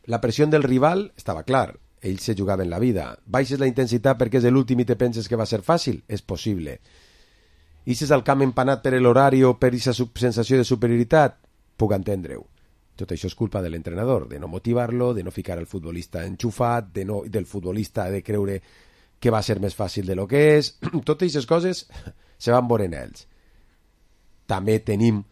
la pressió del rival estava clar, ell se jugava en la vida. Baixes la intensitat perquè és l'últim i te penses que va ser fàcil? És possible. Ixes al camp empanat per l'horari o per aquesta sensació de superioritat? Puc entendre-ho. Tot això és culpa de l'entrenador, de no motivar-lo, de no ficar el futbolista enxufat, de no, del futbolista de creure que va ser més fàcil de lo que és. Totes aquestes coses se van veure en ells. També tenim,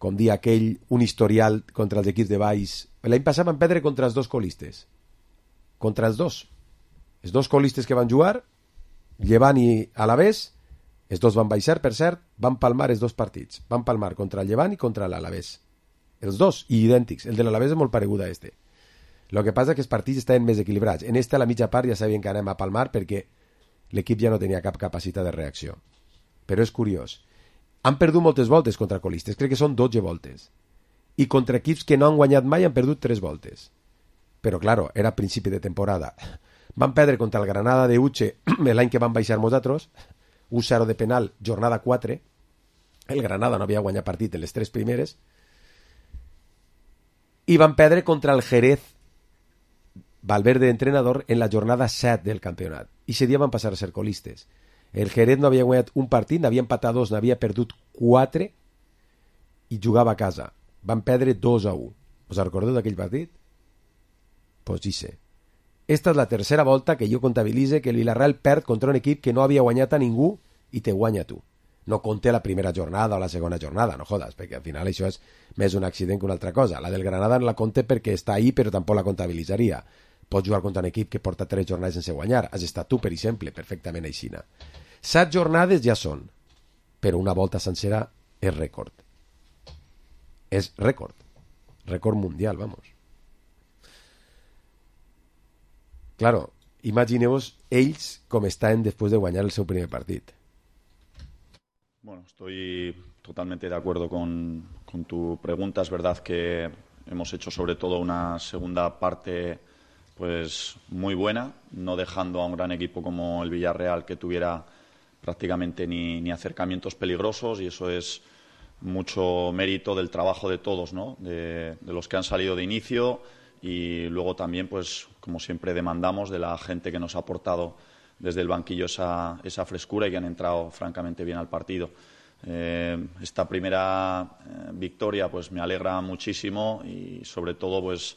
com dia aquell, un historial contra els equips de baix. L'any passat van perdre contra els dos colistes. Contra els dos. Els dos colistes que van jugar, Llevant i Alavés, els dos van baixar, per cert, van palmar els dos partits. Van palmar contra el Llevant i contra l'Alavés. Els dos, i idèntics. El de l'Alavés és molt paregut a este. El que passa és que els partits estaven més equilibrats. En este, a la mitja part, ja sabien que anem a palmar perquè l'equip ja no tenia cap capacitat de reacció. Però és curiós. Han perdut moltes voltes contra colistes. Crec que són dotze voltes. I contra equips que no han guanyat mai han perdut tres voltes. Però, claro, era a principi de temporada. Van perdre contra el Granada de Uche l'any que van baixar nosaltres. un zero de penal, jornada quatre. El Granada no havia guanyat partit en les tres primeres. I van perdre contra el Jerez, Valverde entrenador, en la jornada set del campionat. I ese dia van passar a ser colistes. El Jerez no havia guanyat un partit, n'havia empatat dos, n'havia perdut quatre i jugava a casa. Van perdre dos a u. Us recordeu d'aquell partit? Pues dice. Esta és la tercera volta que jo comptabilitze que el Villarreal perd contra un equip que no havia guanyat a ningú i te guanya tu. No conté la primera jornada o la segona jornada, no jodes, perquè al final això és més un accident que una altra cosa. La del Granada no la conté perquè està ahí, però tampoc la comptabilitzaria. Pots jugar contra un equip que porta tres jornades sense guanyar. Has estat tu, per exemple, perfectament aixina. Set jornades ja són, però una volta sencera és rècord. És rècord. Rècord mundial, vamos. Claro, imagineu-vos ells com estan després de guanyar el seu primer partit. Bueno, estoy totalmente de acuerdo con, con tu pregunta. Es verdad que hemos hecho sobre todo una segunda parte pues muy buena, no dejando a un gran equipo como el Villarreal que tuviera prácticamente ni, ni acercamientos peligrosos, y eso es mucho mérito del trabajo de todos, ¿no? De, de los que han salido de inicio, y luego también, pues como siempre demandamos, de la gente que nos ha aportado desde el banquillo esa, esa frescura y que han entrado francamente bien al partido. Eh, esta primera eh, victoria pues me alegra muchísimo, y sobre todo pues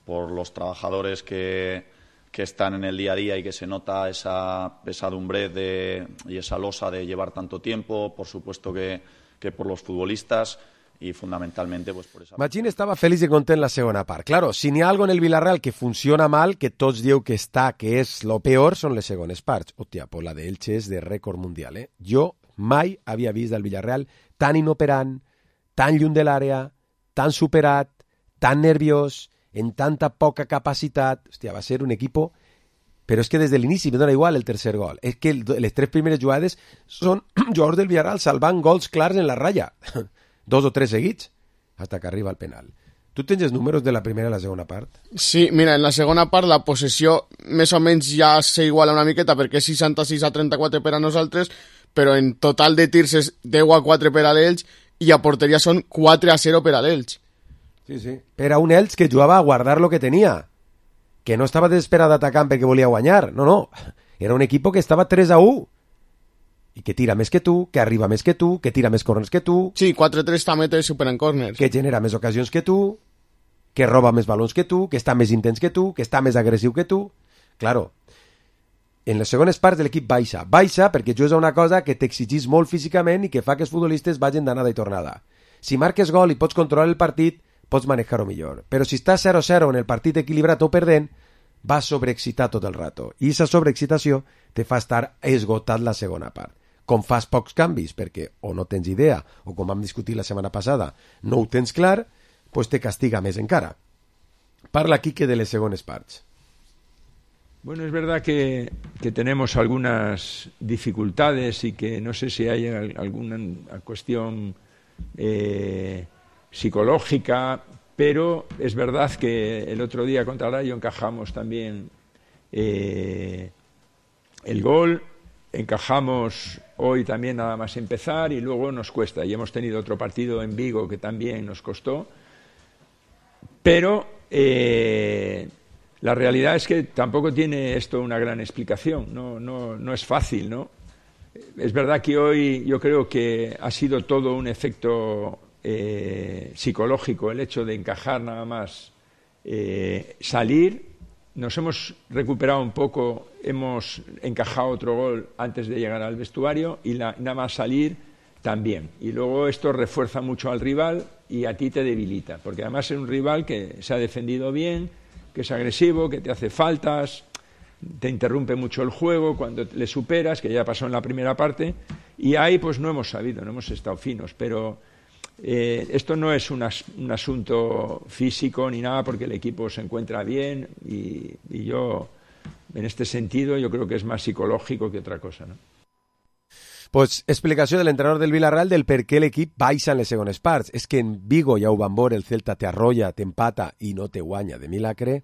por los trabajadores que, que están en el día a día y que se nota esa pesadumbre de, y esa losa de llevar tanto tiempo, por supuesto que, que por los futbolistas y fundamentalmente pues por esa... Magín estava feliç i content la segona part. Claro, si n'hi ha algo en el Villarreal que funciona mal, que tots dieu que està, que és lo peor, són les segones parts. Hòstia, pues la d'Elche és de rècord mundial, eh? Jo mai havia vist el Villarreal tan inoperant, tan lluny de l'àrea, tan superat, tan nerviós, en tanta poca capacitat. Hòstia, va ser un equipo... Però és que des de l'inici me dona igual el tercer gol. És que el, les tres primeres jugades són jugadors del Villarreal salvant gols clars en la ratlla. Dos o tres seguits, hasta que arriba el penal. Tu tens els números de la primera i la segona part? Sí, mira, en la segona part la possessió més o menys ja s'iguala una miqueta, perquè és seixanta-sis a trenta-quatre per a nosaltres, però en total de tirs és deu a quatre per a l'Elx i a porteria són quatre a zero per a l'Elx. Sí, sí. Per a un Elx que jugava a guardar lo que tenia, que no estava desesperat atacant perquè volia guanyar, no, no. Era un equip que estava tres a u. I que tira més que tu, que arriba més que tu, que tira més corners que tu. Sí, quatre tres també té superen corners. Que genera més ocasions que tu, que roba més balons que tu, que està més intens que tu, que està més agressiu que tu. Claro, en les segones parts de l'equip baixa. Baixa perquè jugues a una cosa que t'exigís molt físicament i que fa que els futbolistes vagin d'anada i tornada. Si marques gol i pots controlar el partit, pots manejar-ho millor. Però si estàs zero a zero en el partit equilibrat o perdent, vas sobreexcitar tot el rato. I aquesta sobreexcitació te fa estar esgotat la segona part. Com fas pocs canvis, perquè o no tens idea, o com vam discutir la setmana passada, no ho tens clar, pues te castiga més encara. Parla, Quique, de les segones parts. Bueno, es verdad que, que tenemos algunas dificultades y que no sé si hay alguna cuestión eh, psicológica, pero es verdad que el otro día contra el Rayo encajamos también eh, el gol, encajamos hoy también nada más empezar y luego nos cuesta. Y hemos tenido otro partido en Vigo que también nos costó, pero eh, la realidad es que tampoco tiene esto una gran explicación, no, no, no es fácil, ¿no? Es verdad que hoy yo creo que ha sido todo un efecto eh, psicológico, el hecho de encajar nada más, eh, salir. Nos hemos recuperado un poco, hemos encajado otro gol antes de llegar al vestuario y la, nada más salir también. Y luego esto refuerza mucho al rival y a ti te debilita, porque además es un rival que se ha defendido bien, que es agresivo, que te hace faltas, te interrumpe mucho el juego cuando le superas, que ya pasó en la primera parte, y ahí pues no hemos sabido, no hemos estado finos, pero eh, esto no es un, as, un asunto físico ni nada, porque el equipo se encuentra bien y, y yo, en este sentido, yo creo que es más psicológico que otra cosa, ¿no? Pues explicació de l'entrenador del Villarreal del per què l'equip baixa en les segones parts. És que en Vigo ja ho van veure, el Celta t'arrolla, t'empata i no te guanya de milagre.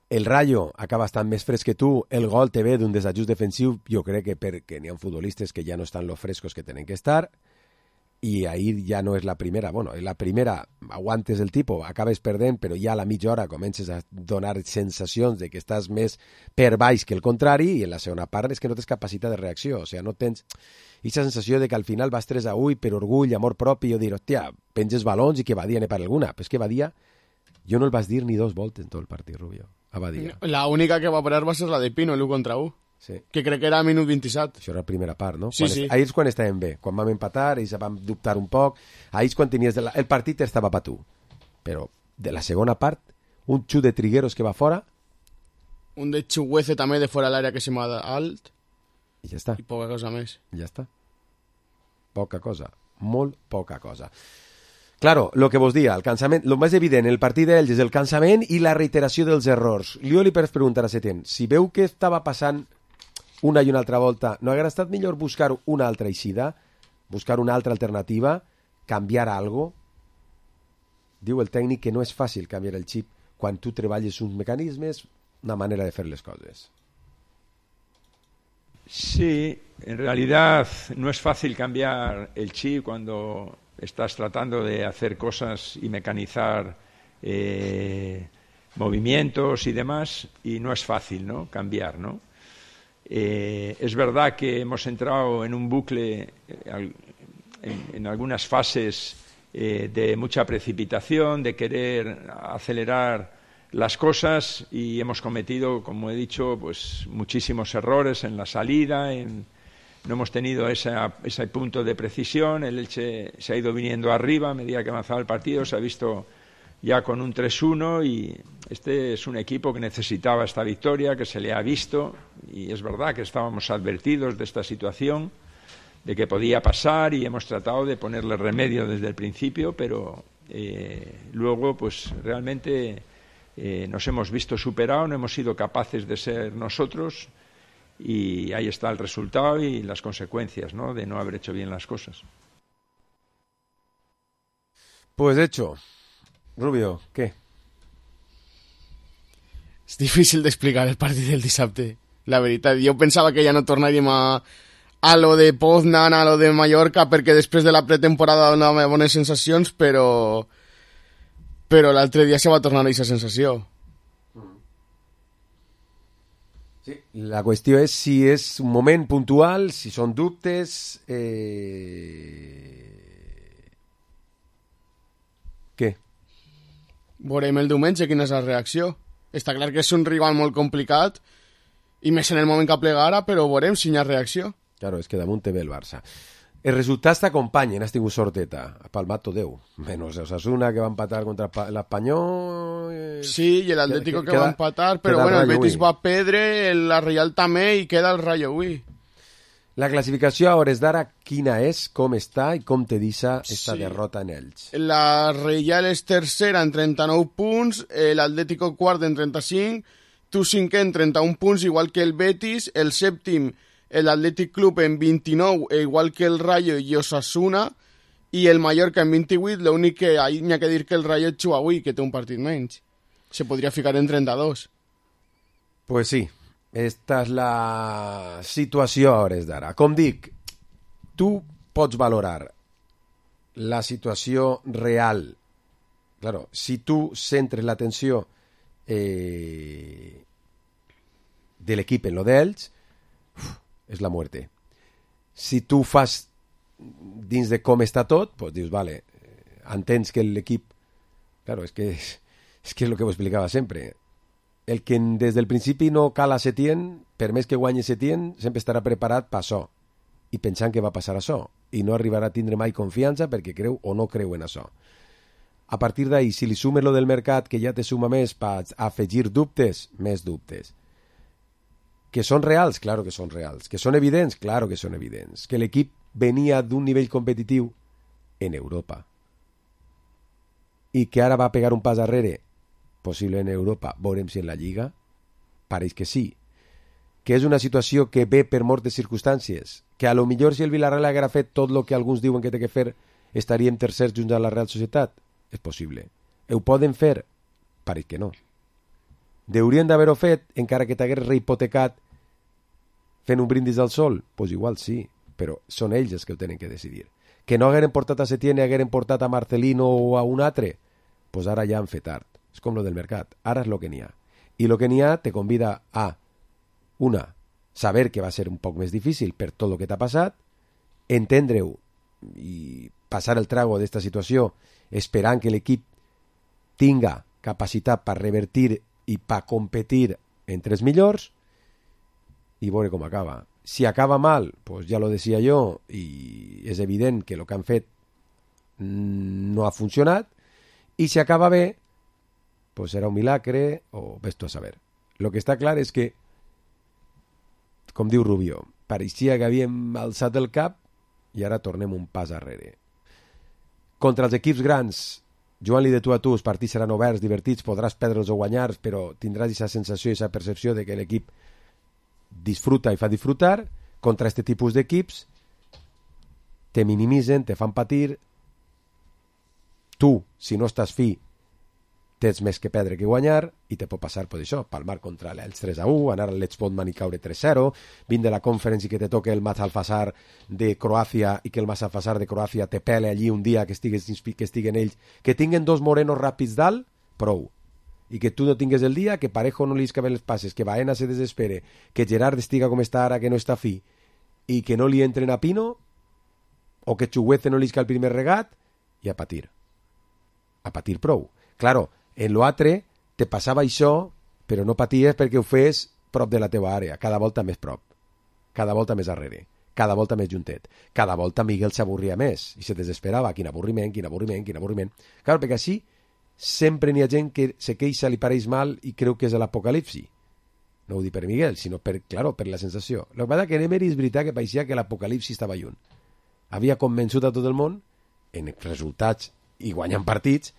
El Rayo acaba estant més fresc que tu, el gol te ve d'un desajust defensiu, jo crec que perquè n'hi ha futbolistes que ja no estan lo frescos que tenen que estar, i ahir ja no és la primera, bueno, la primera aguantes el tipus, acabes perdent, però ja a la mitja hora comences a donar sensacions de que estàs més per baix que el contrari, i en la segona part és que no tens capacitat de reacció, o sigui, no tens aquesta sensació de que al final vas tres a u per orgull, amor propi, i jo dir, hòstia, penges balons i que Badia ne per alguna, però és que Badia, jo no el vas dir ni dos voltes en tot el partit, Rubio, a Badia. La única que va parar va ser la de Pino, l'u contra u. Sí. Que crec que era a minut vint-i-set. Això era la primera part, no? Sí, quan sí. Est... Ahir és quan estàvem bé. Quan vam empatar, ells vam dubtar un poc. Ahir és quan tenies... De la... El partit estava per tu. Però de la segona part, un xut de Trigueros que va fora... Un de Chuguece també de fora l'àrea que se m'ha alt. I ja està. I poca cosa més. I ja està. Poca cosa. Molt poca cosa. Claro, lo que vos dia, el cansament, lo més evident en el partit d'ells és el cansament i la reiteració dels errors. Jo li pots preguntar a Setién, si veu que estava passant una i una altra volta, no hauria estat millor buscar una altra eixida, buscar una altra alternativa, canviar algo? Diu el tècnic que no és fàcil canviar el xip quan tu treballes uns mecanismes, una manera de fer les coses. Sí, en realidad no es fácil cambiar el chip cuando estás tratando de hacer cosas y mecanizar eh, movimientos y demás, y no es fácil, ¿no? Cambiar, ¿no? Eh, es verdad que hemos entrado en un bucle eh, en, en algunas fases eh, de mucha precipitación, de querer acelerar las cosas, y hemos cometido, como he dicho, pues muchísimos errores en la salida, en, no hemos tenido esa, ese punto de precisión. El Elche se ha ido viniendo arriba a medida que avanzaba el partido, se ha visto ya con un tres uno, y este es un equipo que necesitaba esta victoria, que se le ha visto, y es verdad que estábamos advertidos de esta situación, de que podía pasar, y hemos tratado de ponerle remedio desde el principio, pero eh, luego pues realmente eh, nos hemos visto superados, no hemos sido capaces de ser nosotros, y ahí está el resultado y las consecuencias, ¿no?, de no haber hecho bien las cosas. Pues hecho. Rubio, què? És difícil d'explicar el partit del dissabte, la veritat. Jo pensava que ja no tornaríem a, a lo de Poznan, a lo de Mallorca, perquè després de la pretemporada donava bones sensacions, però però l'altre dia se va tornar a aquesta sensació. Sí, la qüestió és si és un moment puntual, si són dubtes... Eh... Què? Veurem el diumenge quina és la reacció. Està clar que és un rival molt complicat, i més en el moment que plega ara, però veurem si hi ha reacció. Claro, és que damunt te ve el Barça. Els resultats t'acompanyen, has tingut sorteta. Ha palmat tot Déu. Menos Osasuna, que va empatar contra l'Espanyol... Sí, i l'Atlético que, que va empatar, però bueno, el Betis va perdre, la Real també, i queda el Rayo avui. La classificació a hores d'ara quina és, com està i com te deixa esta sí. derrota en ells? La Real és tercera en trenta-nou punts, l'Atlético quart en trenta-cinc, tu cinquè en trenta-un punts, igual que el Betis, el sèptim l'Atlètic Club en vint-i-nou, igual que el Rayo i Osasuna, i el Mallorca en vint-i-vuit, l'únic que hi ha que dir que el Rayo juga avui, que té un partit menys. Se podria ficar en trenta-dos. Pues sí, esta és la situació a hores d'ara. Com dic, tu pots valorar la situació real. Claro, si tu centres l'atenció eh, de l'equip en lo d'ells, és la muerte. Si tu fas dins de com està tot, pues dius, vale, entens que l'equip... Claro, és que és, és que és el que ho explicava sempre. El que des del principi no cala Setién, per més que guanyi Setién, sempre estarà preparat per això, i pensant que va passar això, i no arribarà a tindre mai confiança perquè creu o no creu en això. A partir d'ahí, si li sumes lo del mercat, que ja te suma més per afegir dubtes, més dubtes. Que són reals? Claro que són reals. Que són evidents? Claro que són evidents. Que l'equip venia d'un nivell competitiu en Europa. I que ara va pegar un pas darrere, possible en Europa, veurem si en la Lliga, pareix que sí. Que és una situació que ve per moltes circumstàncies, que a lo millor si el Villarreal haguera fet tot el que alguns diuen que té que fer, estaríem tercers junts a la Real Societat. És possible. Ho poden fer? Pareix que no. Deurien d'haver-ho fet, encara que t'hagués rehipotecat fent un brindis al sol? Doncs pues igual sí, però són ells els que ho tenen que decidir. Que no hagueren portat a Setién i hagueren portat a Marcelino o a un altre? Doncs pues ara ja han fet tard. És com lo del mercat. Ara és lo que n'hi ha. I lo que n'hi ha te convida a, una, saber que va ser un poc més difícil per tot el que t'ha passat, entendre-ho i passar el trago d'esta situació esperant que l'equip tinga capacitat per revertir i per competir entre els millors i veure com acaba. Si acaba mal, pues ja lo decía yo, i és evident que el que han fet no ha funcionat, i si acaba bé, pues serà un milagre o ves tu a saber. Lo que està clar és que, com diu Rubió, pareixia que havíem alçat el cap i ara tornem un pas arrere. Contra els equips grans, jugant-li de tu a tu, els partits seran oberts, divertits, podràs perdre'ls o guanyar, però tindràs aquesta sensació i aquesta percepció de que l'equip disfruta i fa disfrutar. Contra aquest tipus d'equips te minimitzen, te fan patir. Tu, si no estàs fi, tens més que perdre que guanyar i te pot passar per això, palmar contra l'Elx tres a u, anar a l'Edge Podman i caure tres a zero, vindre a la conference i que te toque el Mazalfasar de Croàcia i que el Mazalfasar de Croàcia te pele allí un dia que estigues, que estiguen ells, que tinguen dos morenos ràpids dalt, prou. I que tu no tingues el dia, que Parejo no li escaben les passes, que Baena se desespere, que Gerard estiga com està ara, que no està fi, i que no li entren a Pino, o que Chuguece no li isca el primer regat, i a patir. A patir prou. Claro, en l'altre te passava això, però no paties perquè ho fes prop de la teva àrea, cada volta més prop, cada volta més darrere, cada volta més juntet. Cada volta Miguel s'avorria més i se desesperava. Quin avorriment, quin avorriment, quin avorriment. Clar, perquè així sempre n'hi ha gent que se queixa, li pareix mal i creu que és l'apocalipsi. No ho dic per Miguel, sinó per, claro, per la sensació. El que passa que en Emery és veritat que pareixia que l'apocalipsi estava lluny. Havia convençut a tot el món, en resultats i guanyant partits,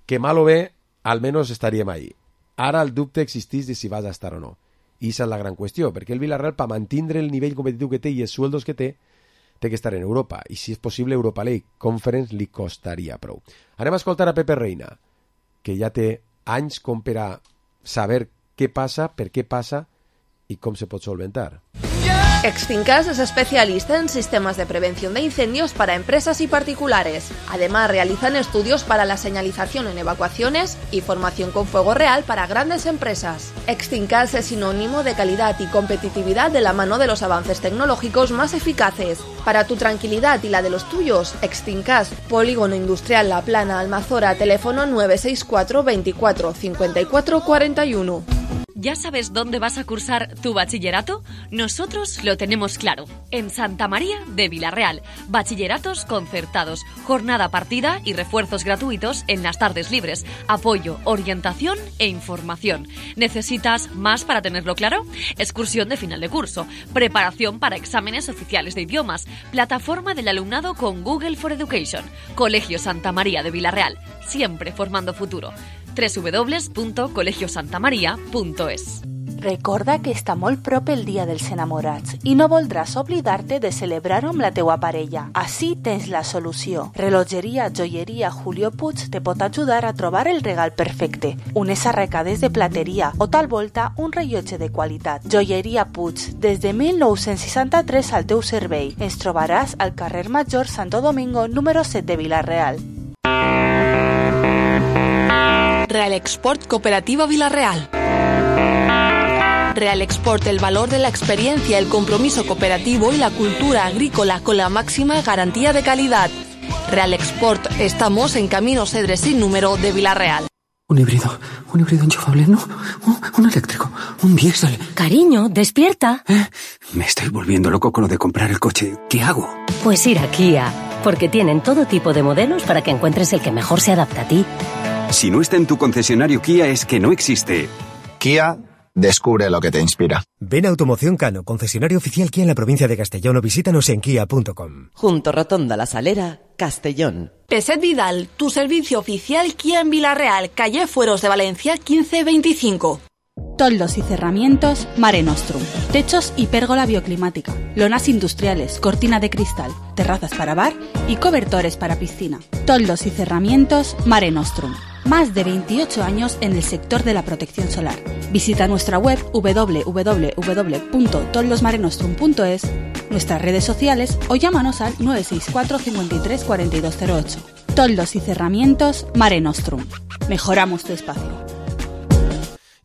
que mal o bé, almenys estaríem ahí. Ara el dubte existeix de si vas a estar o no. I aquesta és la gran qüestió, perquè el Villarreal, per mantenir el nivell competitiu que té i els sueldos que té, té que estar en Europa. I si és possible, Europa League Conference li costaria prou. Anem a escoltar a Pepe Reina, que ja té anys com per a saber què passa, per què passa i com se pot solventar. Extincas es especialista en sistemas de prevención de incendios para empresas y particulares. Además, realizan estudios para la señalización en evacuaciones y formación con fuego real para grandes empresas. Extincas es sinónimo de calidad y competitividad de la mano de los avances tecnológicos más eficaces. Para tu tranquilidad y la de los tuyos, Extincas, Polígono Industrial La Plana, Almazora, teléfono nueve seis cuatro, veinticuatro, cincuenta y cuatro, cuarenta y uno. ¿Ya sabes dónde vas a cursar tu bachillerato? Nosotros lo tenemos claro. En Santa María de Villarreal. Bachilleratos concertados, jornada partida y refuerzos gratuitos en las tardes libres. Apoyo, orientación e información. ¿Necesitas más para tenerlo claro? Excursión de final de curso. Preparación para exámenes oficiales de idiomas. Plataforma del alumnado con Google for Education. Colegio Santa María de Villarreal. Siempre formando futuro. doble u doble u doble u punto colegio santa maría punto es. Recorda que està molt prop el dia dels enamorats i no voldràs oblidar-te de celebrar-ho amb la teua parella. Així tens la solució. Relogeria Joieria Julio Puig te pot ajudar a trobar el regal perfecte. Unes arracades de plateria o tal volta un rellotge de qualitat. Joieria Puig, des de mil nou-cents seixanta-tres al teu servei. Ens trobaràs al carrer Major Santo Domingo número set de Vila-real. Real Export Cooperativa Vila-real. Real Export, el valor de la experiencia, el compromiso cooperativo y la cultura agrícola con la máxima garantía de calidad. Real Export, estamos en Camino Cedres sin número de Vila-real. Un híbrido, un híbrido enchufable, no, un, un eléctrico, un diésel. Cariño, despierta. ¿Eh? Me estoy volviendo loco con lo de comprar el coche. ¿Qué hago? Pues ir a Kia, porque tienen todo tipo de modelos para que encuentres el que mejor se adapta a ti. Si no está en tu concesionario Kia es que no existe. Kia, descubre lo que te inspira. Ven a Automoción Cano, concesionario oficial Kia en la provincia de Castellón, o visítanos en kia punto com. Junto Rotonda La Salera, Castellón. Peset Vidal, tu servicio oficial Kia en Vila-real, calle Fueros de Valencia quince veinticinco. Toldos y cerramientos Mare Nostrum. Techos y pérgola bioclimática. Lonas industriales, cortina de cristal, terrazas para bar y cobertores para piscina. Toldos y cerramientos Mare Nostrum. Más de veintiocho años en el sector de la protección solar. Visita nuestra web doble u doble u doble u punto toldosmarenostrum punto es, nuestras redes sociales o llámanos al nueve seis cuatro, cincuenta y tres, cuarenta y dos cero ocho. Toldos y cerramientos Mare Nostrum. Mejoramos tu espacio.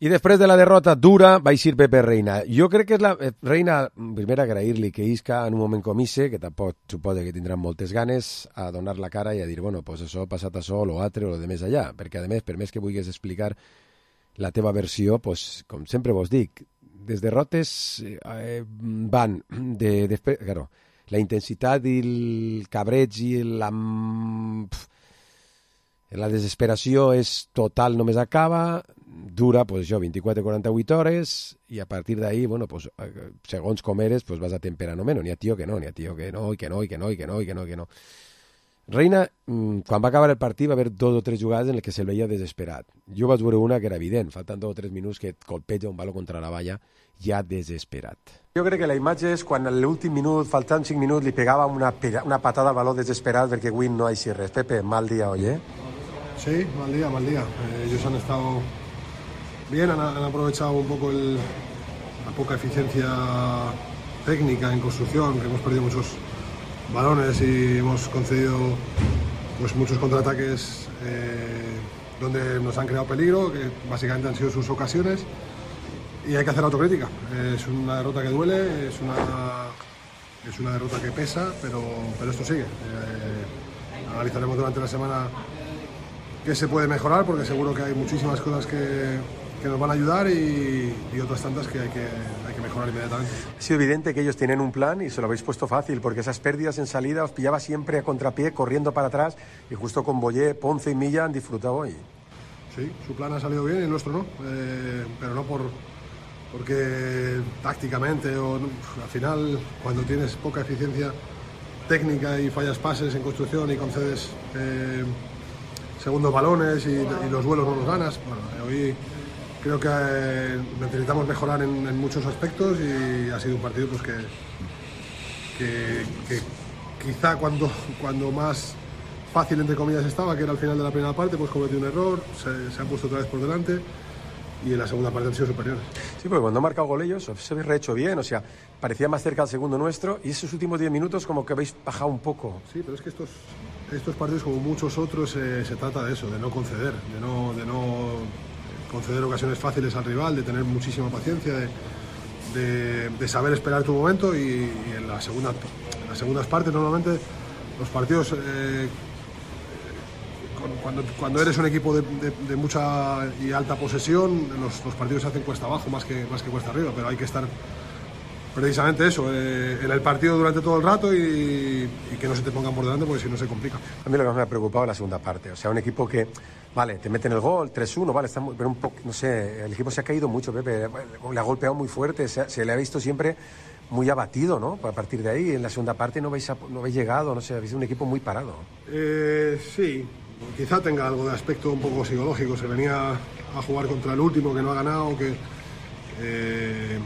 I després de la derrota dura va eixir Pepe Reina. Jo crec que és la... Reina, primer agrair-li que isca en un moment com ese, que tampoc suposa que tindran moltes ganes, a donar la cara i a dir, bueno, pues això ha passat això, lo altre o lo de més allà. Perquè, a més, per més que vulguis explicar la teva versió, pues, com sempre vos dic, les derrotes eh, van de... Després, claro, la intensitat i el cabreig i la... La desesperació és total, només acaba, dura, pues això, vint-i-quatre a quaranta-vuit hores, i a partir d'ahí, bueno, pues, segons com eres, pues vas a temperar no menys. N'hi ha tio que no, n'hi ha tio que no, i que no, i que no, i que no, i que no, i que no. Reina, quan va acabar el partit, va haver dos o tres jugades en les que se'l veia desesperat. Jo vaig veure una que era evident, faltant dos o tres minuts que et colpeja un baló contra la valla, ja desesperat. Jo crec que la imatge és quan a l'últim minut, faltant cinc minuts, li pegava una, una patada al baló desesperat perquè avui no ha així res. Pepe, mal dia, oye? Sí, mal día, mal día. Eh, ellos han estado bien, han, han aprovechado un poco el, la poca eficiencia técnica en construcción, que hemos perdido muchos balones y hemos concedido pues, muchos contraataques eh, donde nos han creado peligro, que básicamente han sido sus ocasiones, y hay que hacer autocrítica. Eh, es una derrota que duele, es una, es una derrota que pesa, pero, pero esto sigue. Eh, analizaremos durante la semana que se puede mejorar, porque seguro que hay muchísimas cosas que, que nos van a ayudar y, y otras tantas que hay, que hay que mejorar inmediatamente. Ha sido evidente que ellos tienen un plan y se lo habéis puesto fácil, porque esas pérdidas en salida os pillaba siempre a contrapié, corriendo para atrás, y justo con Boyé, Ponce y Milla han disfrutado hoy. Sí, su plan ha salido bien y el nuestro no, eh, pero no por porque tácticamente o al final, cuando tienes poca eficiencia técnica y fallas pases en construcción y concedes eh, segundos balones y, y los duelos no los ganas. Bueno, hoy creo que eh, necesitamos mejorar en, en muchos aspectos y ha sido un partido pues que, que, que quizá cuando, cuando más fácil entre comillas estaba, que era al final de la primera parte, pues cometió un error, se, se han puesto otra vez por delante y en la segunda parte han sido superiores. Sí, porque cuando han marcado gol ellos se habéis rehecho bien, o sea, parecía más cerca al segundo nuestro y esos últimos diez minutos como que habéis bajado un poco. Sí, pero es que estos Estos partidos, como muchos otros, eh, se trata de eso, de no conceder, de no, de no conceder ocasiones fáciles al rival, de tener muchísima paciencia, de, de, de saber esperar tu momento y, y en, la segunda, en las segundas partes normalmente los partidos, eh, cuando, cuando eres un equipo de, de, de mucha y alta posesión, los, los partidos se hacen cuesta abajo más que, más que cuesta arriba, pero hay que estar precisamente eso, eh, en el partido durante todo el rato y, y que no se te pongan por delante porque si no se complica. A mí lo que más me ha preocupado es la segunda parte, o sea, un equipo que, vale, te meten el gol, tres uno, vale, está muy, pero un poco, no sé, el equipo se ha caído mucho, Pepe, le ha golpeado muy fuerte, se, se le ha visto siempre muy abatido, ¿no? A partir de ahí, en la segunda parte no habéis, no habéis llegado, no sé, habéis sido un equipo muy parado. Eh, sí, quizá tenga algo de aspecto un poco psicológico, se venía a jugar contra el último que no ha ganado, que eh,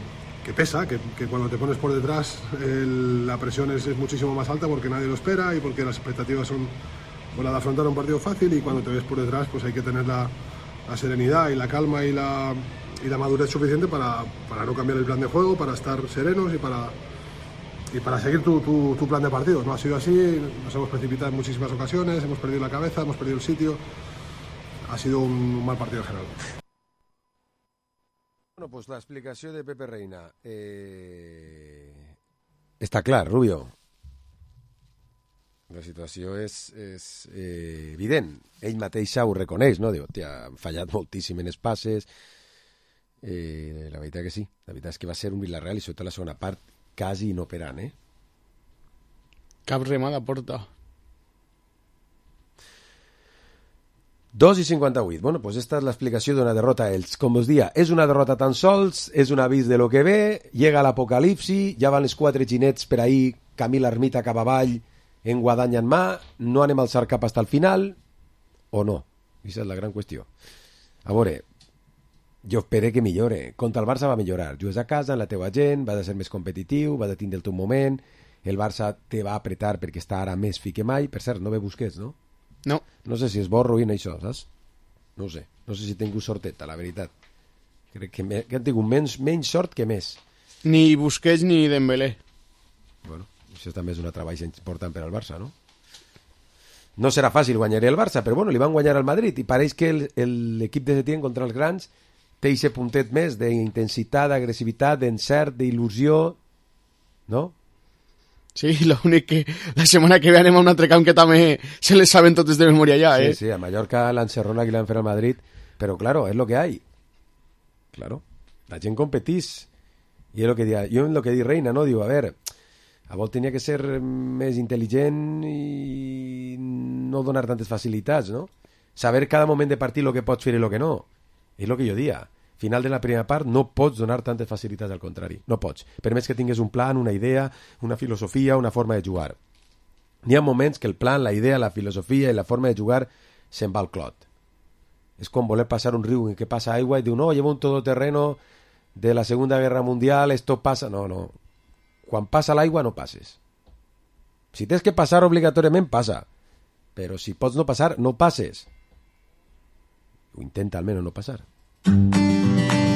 que pesa, que, que cuando te pones por detrás el, la presión es, es muchísimo más alta porque nadie lo espera y porque las expectativas son pues, la de afrontar un partido fácil, y cuando te ves por detrás pues hay que tener la, la serenidad y la calma y la, y la madurez suficiente para, para no cambiar el plan de juego, para estar serenos y para, y para seguir tu, tu, tu plan de partido. No ha sido así, nos hemos precipitado en muchísimas ocasiones, hemos perdido la cabeza, hemos perdido el sitio, ha sido un, un mal partido en general. Bueno, pues l'explicació de Pepe Reina. Eh... Està clar, Rubio. La situació és, és eh, evident. Ell mateix ho reconeix, no? Diu, tia, han fallat moltíssim en els passes. Eh, la veritat que sí. La veritat és que va ser un Villarreal, i sobretot la segona part, quasi inoperant, eh? Cap remada porta. dos i cinquanta-vuit. Bueno, pues esta es l'explicació d'una derrota a ells. Com us dia, és una derrota tan sols, és un avís de lo que ve, llega l'apocalipsi, ja van els quatre ginets per ahir, camí l'ermita cap avall, en guadanya en mà, no anem a alçar cap hasta el final, o no? Aquesta és la gran qüestió. A veure, jo espero que millore. Contra el Barça va millorar. Jugues a casa, en la teua gent, va de ser més competitiu, va de tindre el teu moment, el Barça te va apretar perquè està ara més fi que mai. Per cert, no ve Busquets, no? No. No sé si és bo o ruïna això, saps? No ho sé. No sé si tinc sorteta, la veritat. Crec que, me... que han tingut menys, menys sort que més. Ni Busquets ni Dembélé. Bueno, això també és una treball important per al Barça, no? No serà fàcil guanyar el Barça, però bueno, li van guanyar al Madrid i pareix que l'equip de Setién contra els grans té aquest puntet més d'intensitat, d'agressivitat, d'encert, d'il·lusió, no? Sí, l'únic que la setmana que ve anem a un altre camp que també se les saben totes de memòria ja, eh? Sí, sí, a Mallorca l'encerrona que l'han fet al Madrid, però claro, és lo que hay. Claro, la gent competís. I és lo que dia, jo en lo que di Reina, no? Diu, a veure, a vol tenia que ser més intel·ligent i no donar tantes facilitats, no? Saber cada moment de partit lo que pots fer i lo que no. És lo que jo dia. Final de la primera part no pots donar tantes facilitats, al contrari, no pots, per més que tingues un plan, una idea, una filosofia, una forma de jugar. N'hi ha moments que el plan, la idea, la filosofia i la forma de jugar se'n va al clot. És com voler passar un riu en què passa aigua i diu, no, llevo un todoterreno de la Segunda Guerra Mundial, esto passa... No, no, quan passa l'aigua no passes. Si tens que passar obligatòriament, passa, però si pots no passar, no passes. O intenta almenys no passar.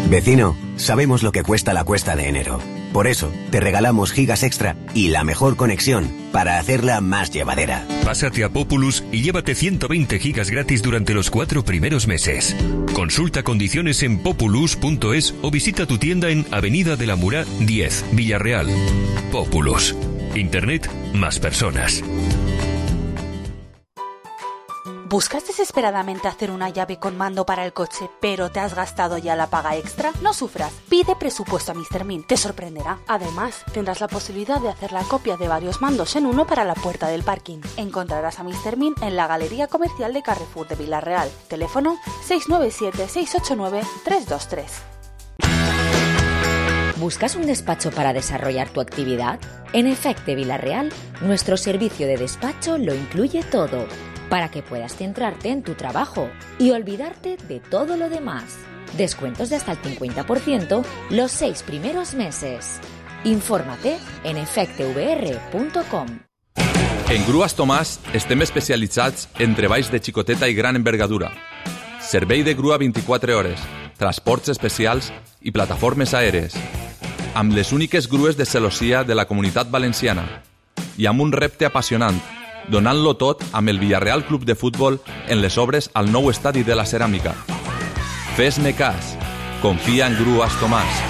Vecino, sabemos lo que cuesta la cuesta de enero. Por eso, te regalamos gigas extra y la mejor conexión para hacerla más llevadera. Pásate a Populus y llévate ciento veinte gigas gratis durante los cuatro primeros meses. Consulta condiciones en populus punto es o visita tu tienda en Avenida de la Murá diez, Villarreal. Populus. Internet más personas. ¿Buscas desesperadamente hacer una llave con mando para el coche, pero te has gastado ya la paga extra? No sufras, pide presupuesto a míster Min, te sorprenderá. Además, tendrás la posibilidad de hacer la copia de varios mandos en uno para la puerta del parking. Encontrarás a míster Min en la Galería Comercial de Carrefour de Villarreal. Teléfono seis nueve siete, seis ocho nueve, tres dos tres. ¿Buscas un despacho para desarrollar tu actividad? En Efecte Villarreal, nuestro servicio de despacho lo incluye todo, para que puedas centrarte en tu trabajo y olvidarte de todo lo demás. Descuentos de hasta el cincuenta por ciento los seis primeros meses. Infórmate en efecte v r punto com. En Grues Tomàs estem especialitzats en treballs de xicoteta i gran envergadura. Servei de grua vint-i-quatre hores, transports especials i plataformes aèries. Amb les úniques grues de celossia de la Comunitat Valenciana. I amb un repte apassionant, donant-lo tot amb el Villarreal Club de Futbol en les obres al nou estadi de la Ceràmica. Fes-me cas. Confia en Grues Tomàs.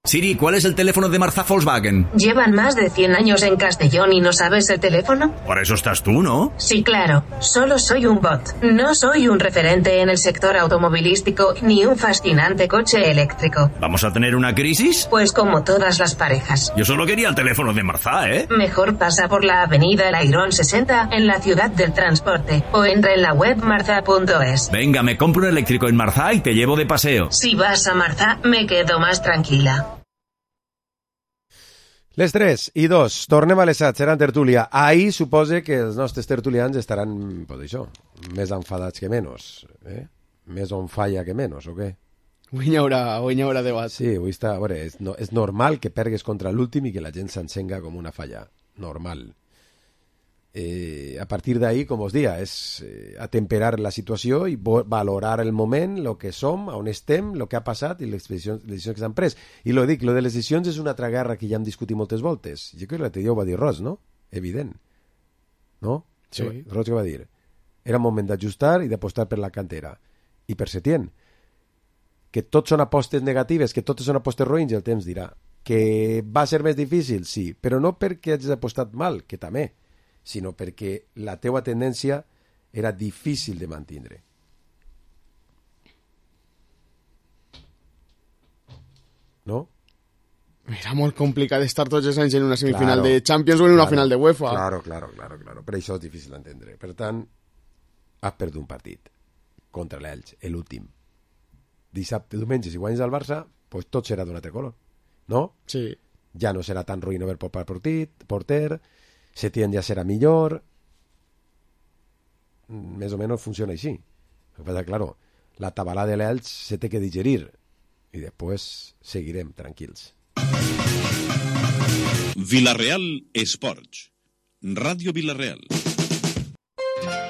Siri, ¿cuál es el teléfono de Marza Volkswagen? ¿Llevan más de cien años en Castellón y no sabes el teléfono? Por eso estás tú, ¿no? Sí, claro. Solo soy un bot. No soy un referente en el sector automovilístico ni un fascinante coche eléctrico. ¿Vamos a tener una crisis? Pues como todas las parejas. Yo solo quería el teléfono de Marza, ¿eh? Mejor pasa por la avenida El Airón sesenta en la ciudad del transporte o entra en la web marza punto es. Venga, me compro un eléctrico en Marza y te llevo de paseo. Si vas a Marza, me quedo más tranquila. Les tres i dos, tornem a les set, serà en tertúlia. Ahir supose que els nostres tertulians estaran, pues això, més enfadats que menys, eh? més on falla que menys, o què? Avui hi haurà, avui hi haurà debat. Sí, avui està... A veure, és, no, és normal que pergues contra l'últim i que la gent s'encenga com una falla. Normal. Eh, a partir d'ahí, com us dia, és eh, atemperar la situació i valorar el moment, el que som, on estem, el que ha passat i les decisions, les decisions que s'han pres. I lo dic, lo de les decisions és una altra guerra que ja hem discutit moltes voltes. Jo crec que l'altre dia ho va dir Ros, no? Evident. No? Sí. Ros que va dir. Era moment d'ajustar i d'apostar per la cantera. I per Setién. Que tots són apostes negatives, que totes són apostes roïns, el temps dirà. Que va ser més difícil, sí, però no perquè hagis apostat mal, que també, sinó perquè la teua tendència era difícil de mantindre. No? Era molt complicat estar tots els anys en una semifinal Claro, de Champions o en una claro, final de UEFA. Claro, claro, claro, claro. Per això és difícil d'entendre. Per tant, has perdut un partit contra l'Elx, l'últim. Dissabte, diumenge, si guanyes el Barça, pues tot serà d'un altre color, no? Sí. Ja no serà tan ruïn haver popat partit, porter, Setién ja serà millor, més o menys funciona així. El que passa, claro, la tabalada de l'Elx se té que digerir i després seguirem tranquils. Vila Real Esports. Ràdio Vila Real.